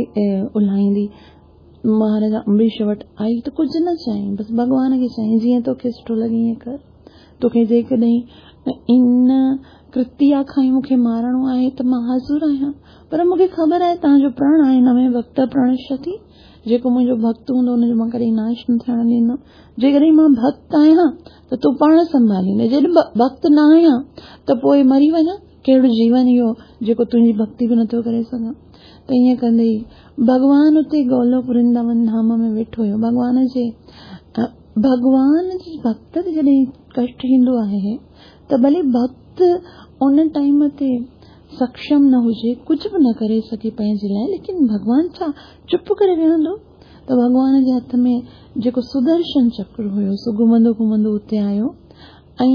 الهائيندي مهاراجا امبريش وٽ آئي ته ڪجهه نه چيائين، بس ڀڳوان کي چيائين، جيئن توکي سٺو لڳي ائين ڪر. توکي جيڪڏهن ان ڪرتيا کان ئي مون کي مارڻو آهي ته مان حاضر آهيان. پر مون کي خبر آهي توهان جو پرڻ آهي نه مين ڀڳت پرڻشتي، جيڪو منهنجو ڀڳت هوندو ان جو مان ڪڏهن ناش نه ٿيڻ ڏيندم. جيڪڏهن مان ڀڳت آهيان ته تون پاڻ سنڀاليندين، جيڪڏهن ڀڳت نه آهيان ته پوء مري وڃان. ڪهڙو جيون اهو جيڪو تنهنجي ڀڳتي به نٿو ڪري سگهان. ته ائين ڪندي ئي ڀڳوان اتي گولوڪ ورنداون ڌام ۾ ويٺو هيو. ڀڳوان جي ڀڳوان جي ڀڳت تي جڏهن ڪشٽ ايندو آهي ته ڀلي ڀڳت ان ٽائيم تي سڪشم نه هجي، ڪجهه به نه ڪري سگهي پنهنجي لاء، ليڪن ڀڳوان ڇا چپ ڪري ويهندو؟ ته ڀڳوان جي هٿ ۾ جيڪو سدرشن چڪر هيو سو گهمندو گهمندو اتي آيو ۽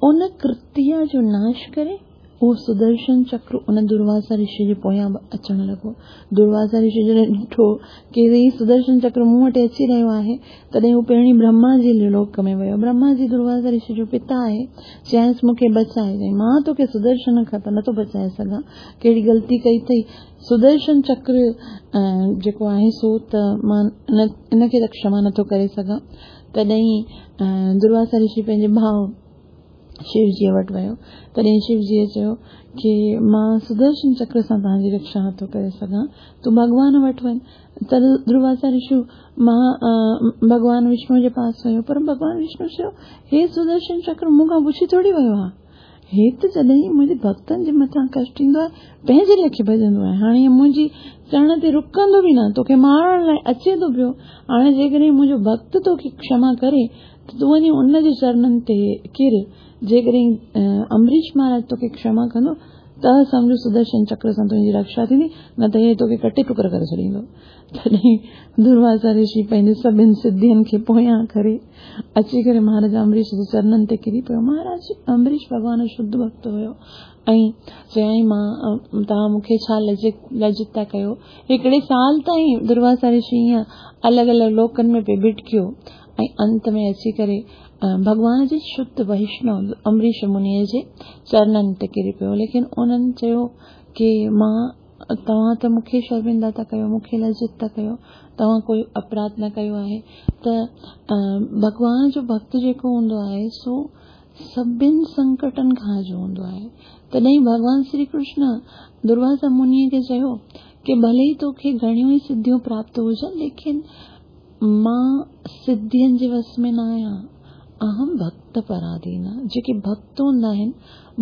ان ڪرتيا جو ناش ڪري اهو سدرشن چڪر ان درواسا رشي جي پويان به اچڻ لڳو. درواسا رشي جڏهن ڏٺو ڪي هي سدرشن چڪر مون وٽ اچي رهيو آهي، تڏهن هو پهرين برهما جي لوڪ ۾ ويو. برهما جي درواسا رشي جو پتا آهي. چيائينس مون کي بچاء. چيائين مان توکي سدرشن کان ته نٿو بچائي سگهان. ڪهڙي غلطي ڪئي اٿئي. سدرشن چڪر جيڪو آهي سو ته مان ان کي ته ڪشما نٿو ڪري سگهان. تڏهن درواسا رشي پنهنجي ڀاء شوجيء وٽ ويو. تڏهن شوجيء چيو ڪي مان سدرشن چڪر سان توهان جي رڪشا نٿو ڪري سگهان، تون ڀڳوان وٽ وڃ. ته درواسا رشي مان ڀڳوان وشنو جي پاس ويو، پر ڀڳوان وشنو چيو، هي سدرشن چڪر مون کان پڇي ٿوري ويو آهي. هي ته جڏهن منهنجي ڀڳتن جي مٿان ڪشٽ ايندو آهي، پنهنجي ليکي ڀڄندو آهي. هاڻي هي منهنجي چرڻ تي رڪندو به نه، توکي مارڻ لاء اچي ٿو پيو. هاڻي جيڪڏهن منهنجو ڀڳت توکي ڪشما ڪري ته تون وڃي ان جي چرنن تي ڪر. جيڪڏهن امبريش مهاراج توکي ڪشما ڪندو ته سمجهه سدرشن چڪر سان تنهنجي رڪشا ٿيندي، نه ته هي توکي ڪٽي ٽڪر ڪري ڇڏيندو. تڏهن درواسا رشي پنهنجي سڀن سڌين کي پويان ڪري اچي ڪري مهاراج امبريش جي چرنن تي ڪري پيو. مهاراج امبريش ڀڳوان جو شڌ ڀڳت هيو ۽ چيائين مان توهان مون کي ڇا لجت ٿا ڪيو. هڪڙي سال تائين درواسا رشي ائين الڳ الڳ لوڪن ۾ پئي ڀٽڪيو ۽ انت ۾ اچي ڪري ڀڳوان جي شڌ وئشنو امبريش منيء جي چرنن تي ڪري پيو. ليڪن انهن چيو ڪي مان توهان ته مون کي شرمنده ٿا ڪيو، مون کي لجت ٿا ڪيو، توهان ڪوئي اپراڌ نه ڪيو آهي. ته ڀڳوان جو ڀڳت جيڪو هوندو آهي سو سڀن سنڪٽن کان آجو هوندو آهي. تڏهن ڀڳوان شري ڪرشن درواسا منيء کي چيو ڪي ڀلي ئي توکي گهڻيون ئي سڌيون پراپت هجن ليڪن مان سڌين جي وس ۾ نه آهيان. اهم ڀڳت پراڌين، جيڪي ڀڳت هوندا آهن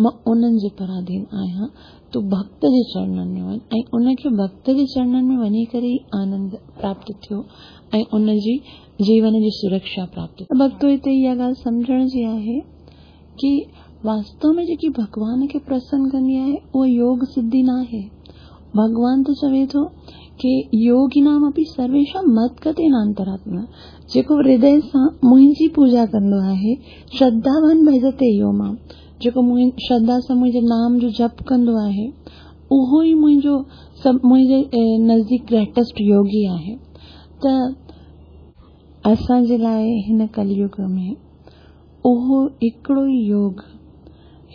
مان انهن جي پراڌين آهيان. تون ڀڳت جي چرنن ۾ وڃ ۽ ان کي ڀڳت جي چرنن ۾ وڃي ڪري ئي آنند پراپت ٿيو ۽ ان جي جيون جي سرڪشا پراپت ٿي. ڀڳتو هتي اها ڳالهه سمجهڻ جي آهي ڪي واستو ۾ جيڪي ڀڳوان کي پرسن ڪندي آهي اها يوگ سڌي ناهي. ڀڳوان ته چوي ٿو ڪي يوگينام اپي سرويشام مدگتين انتراتما جيڪو هردي سان منهنجي پوڄا ڪندو آهي شرڌاوان ڀجتي يو مام جيڪو شرڌا سان منهنجي نام جو جپ ڪندو آهي اهو ئي منهنجو سڀ منهنجي نزديڪ گريٽسٽ يوگي آهي ته اسان جي لاء هن ڪليوگ ۾ اهو هڪڙو ئي يوگ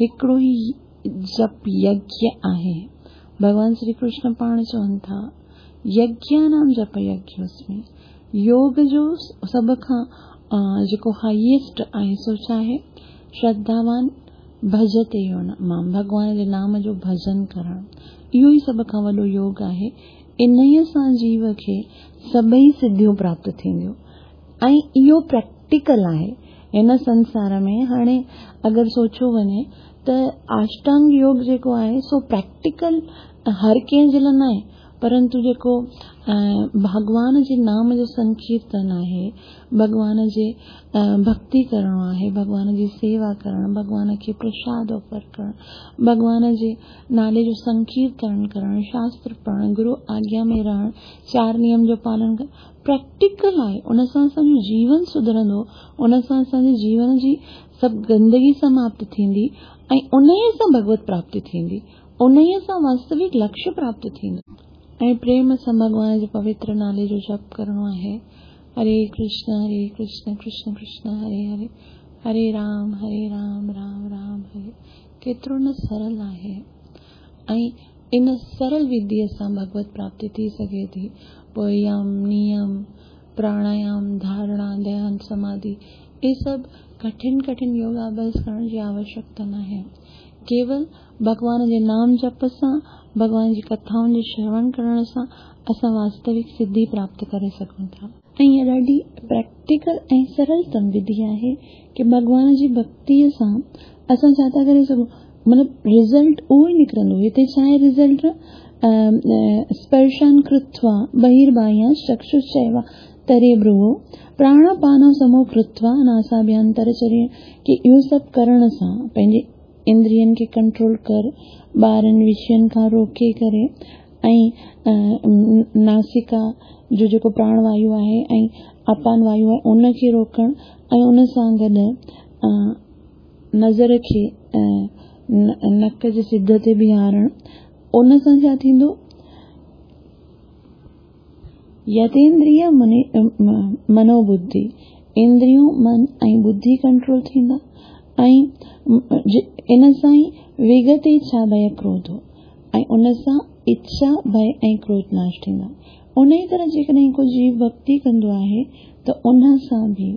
هڪڙو ئي جپ يگيه آهي. ڀڳوان شري ڪرشن پاڻ چون ٿا يگيانام جپ يگيوسمي يوگ جو سڀ کان جيڪو هائيسٽ آهي سو ڇا آهي شرڌاوان ڀجتي يو مام ڀڳوان جي نام جو ڀجن ڪرڻ اهو ئي سڀ کان وڏو يوگ آهي. انهيء سان جيو کي سڀئي سڌيون پراپت ٿينديون ۽ اهو پريڪٽيڪل آهي. هن سنسار ۾ هاڻي اگر سوچيو وڃي ته آشٽانگ يوگ جيڪو آهي سو پريڪٽيڪل هر ڪنهن جي لاء ناهي پرنتو جيڪو ڀڳوان جي نام جو سنڪيرتن آهي، ڀڳوان جي ڀڳتي ڪرڻو آهي، ڀڳوان جي سيوا ڪرڻ، ڀڳوان کي پرشاد آفر ڪرڻ، ڀڳوان جي نالي جو سنڪيرتن ڪرڻ، شاستر پڙهڻ، گرو آگيا ۾ رهڻ، چار نيم جو پالن ڪرڻ پريڪٽيڪل آهي، ان سان اسان جو جيون سڌرندو، ان سان اسان جي جيون جي سڀ گندگي سماپت ٿيندي ۽ انهيء سان ڀڳوت پراپتي ٿيندي، انهيء سان واستوڪ لڪشيه پراپت ٿيندو. ۽ پريم سان ڀڳوان جي پوتر نالي جو جپ ڪرڻو آهي، هري ڪرشن هري ڪرشن ڪرشن ڪرشن هري هري، هري رام هري رام رام رام هري ڪيترو نه سرل آهي ۽ ان سرل وڌيء سان ڀڳوت پراپتي ٿي سگهي ٿي. پوء يم، نيم، پراڻايام، ڌارڻا، ڌيان، سماڌي اهي سڀ ڪٺن ڪٺن يوگاڀياس ڪرڻ جي آوشيڪتا ناهي. ڪيول ڀڳوان جي نام جپ سان، ڀڳوان جي ڪٿائن جي شروڻ ڪرڻ سان اسان واستوڪ سڌي پراپت ڪري سگهون ٿا. ۽ اها ڏاڍي پريڪٽيڪل ۽ سرلتم وڌي آهي ڪي ڀڳوان جي ڀڳتيء سان اسان ڇا ٿا ڪري سگهون مطلب رزلٽ اهو ئي نڪرندو. هتي ڇا آهي رزلٽ اسپرشان ڪرتوا بهيرباهيان چڪششچيوا تري ڀروو پراڻاپانو سمو ڪرتوا ناساڀيانتر چري ڪي اهو سڀ ڪرڻ سان پنهنجي اندرين کي ڪنٽرول ڪر، ٻاهرين وشين کان روڪي ڪري ۽ ناسڪا جو جيڪو پراڻ وايو آهي ۽ اپان وايو آهي ان کي روڪڻ ۽ ان سان گڏ نظر کي نڪ جي سڌ تي بيهارڻ ان سان ڇا ٿيندو؟ يتيندريه منو ٻڌي، اندريون، من ۽ ٻڌي ڪنٽرول ٿيندا ۽ ان سان ئي وگت اڇا ڀئه ڪروڌ ۽ ان سان اڇا، ڀئه ۽ ڪروڌ ناش ٿيندا. انهيء طرح جيڪڏهن ڪو جيو ڀڳتي ڪندو آهي ته ان سان به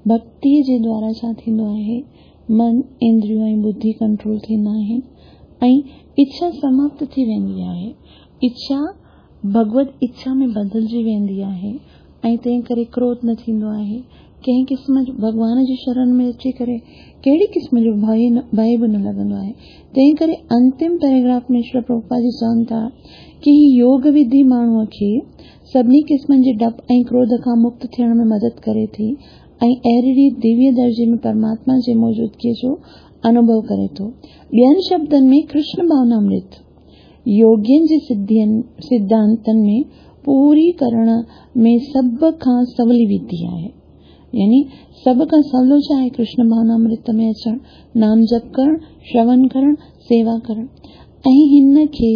ڀڳتيء جي دوارا ڇا ٿيندو آهي؟ من، اندريون ۽ ٻڌي ڪنٽرول ٿيندا آهن ۽ اڇا سماپت ٿي ويندي آهي. اڇا ڀڳوت اڇا ۾ بدلجي ويندي آهي ۽ تنهن ڪري ڪروڌ نه ٿيندو آهي. ڪنهن قسم جو ڀڳوان جي شرڻ ۾ اچي ڪري ڪهڙي قسم جو ڀئي به نه لڳندو آهي. تنهن ڪري انتم پيراگراف ۾ شريل پرڀوپاد جي چون ٿا ڪي هي يوگ وڌي ماڻهوء کي سڀني قسمن جي ڊپ ۽ ڪروڌ کان مڪت ٿيڻ ۾ مدد ڪري ٿي ۽ اهڙي ريت ديويه درجي ۾ پرماتما جي موجودگيء جو انوڀو ڪري ٿو. ٻين شبدن ۾ ڪرشن ڀاونامرت يوگين جي سڌانتن ۾ پوري ڪرڻ ۾ سڀ کان سولي وڌي آهي. يعني سڀ کان سولو ڇا آهي؟ ڪرشن ڀاونامرت ۾ اچڻ، نام جپ ڪرڻ، شرون ڪرڻ، سيوا ڪرڻ. ۽ هن کي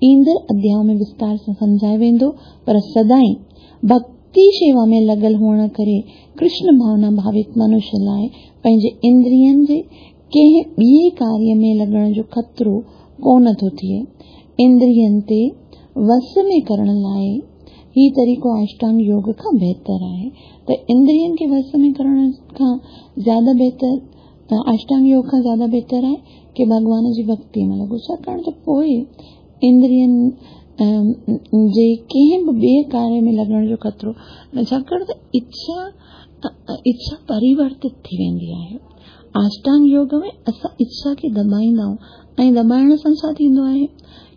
ايندڙ اڌياء ۾ وستار سان سمجهايو ويندو، پر سدائين ڀڳتي شيوا ۾ لڳل هئڻ ڪري ڪرشن ڀاونا ڀاوت منش لاء پنهنجي اندرين جي ڪنهن ٻئي ڪاريه ۾ لڳڻ جو خطرو ڪونه ٿو ٿئي. اندرين تي وس ۾ ڪرڻ لاء هي طريقو آشٽانگ يوگ کان بهتر آهي ته اندرين کي وس ۾ ڪرڻ کان زياده بهتر آشٽانگ يوگ کان زياده بهتر آهي ڪي ڀڳوان جي ڀڳتي ۾ لڳو، ڇاڪاڻ ته پوء اندرين جي ڪنهن به ٻئي ڪاريه ۾ لڳڻ جو خطرو نه، ڇاڪاڻ ته اڇا پريورتت ٿي ويندي آهي. آشٽانگ يوگ ۾ اسان اڇا کي دٻائيندا آهيون ۽ دٻائڻ سان ڇا ٿيندو آهي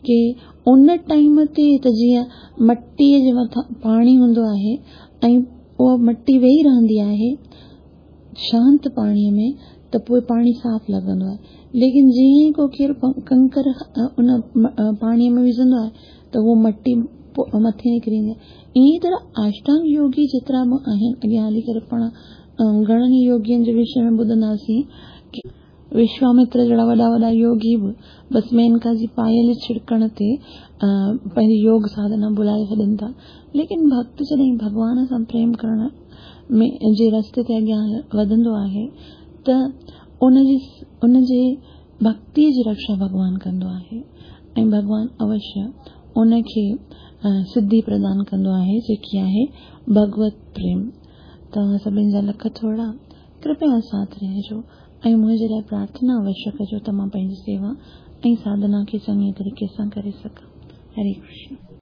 ڪي ان ٽائيم تي ته جيئن مٽيء جي مٿان پاڻي هوندو آهي ۽ اها مٽي ويهي رهندي آهي شانت پاڻيء ۾ ته پوء پاڻي صاف لڳندو آهي ليڪن جيئن ئي ڪو ڪير ڪنڪر ان پاڻيء ۾ وجهندو آهي ته اهو مٽي مٿي نڪري ايندي آهي. ائين ئي طرح آشٽانگ يوگي جيترا به آهن اڳيان هلي ڪري پاڻ گهڻن ئي يوگين جي وشي ۾ ٻڌنداسين ڪي وشوامتر جهڙا وڏا وڏا يوگي به بس مينڪا جي پايل ڇڙڪڻ تي پنهنجي يوگ ساڌنا ڀلائي ڇڏين ٿا. ليڪن ڀڳت جڏهن ڀڳوان سان پريم ڪرڻ ۾ جي رستي تي اڳيان وڌندو آهي ته ان جي ڀڳتيء جي رڪشا ڀڳوان ڪندو آهي ۽ ڀڳوان اوشيه ان کي سڌي پردان ڪندو آهي جيڪي آهي ڀڳوت پريم. توهان سڀني جا لک ٿورا. ڪرپيا ساٿ رهجو ۽ منهنجي لاء پرارٿنا اوشيه ڪجو ته مان پنهنجي سيوا ۽ ساڌنا کي چڱي طريقي سان ڪري سگهان. هري ڪرشن.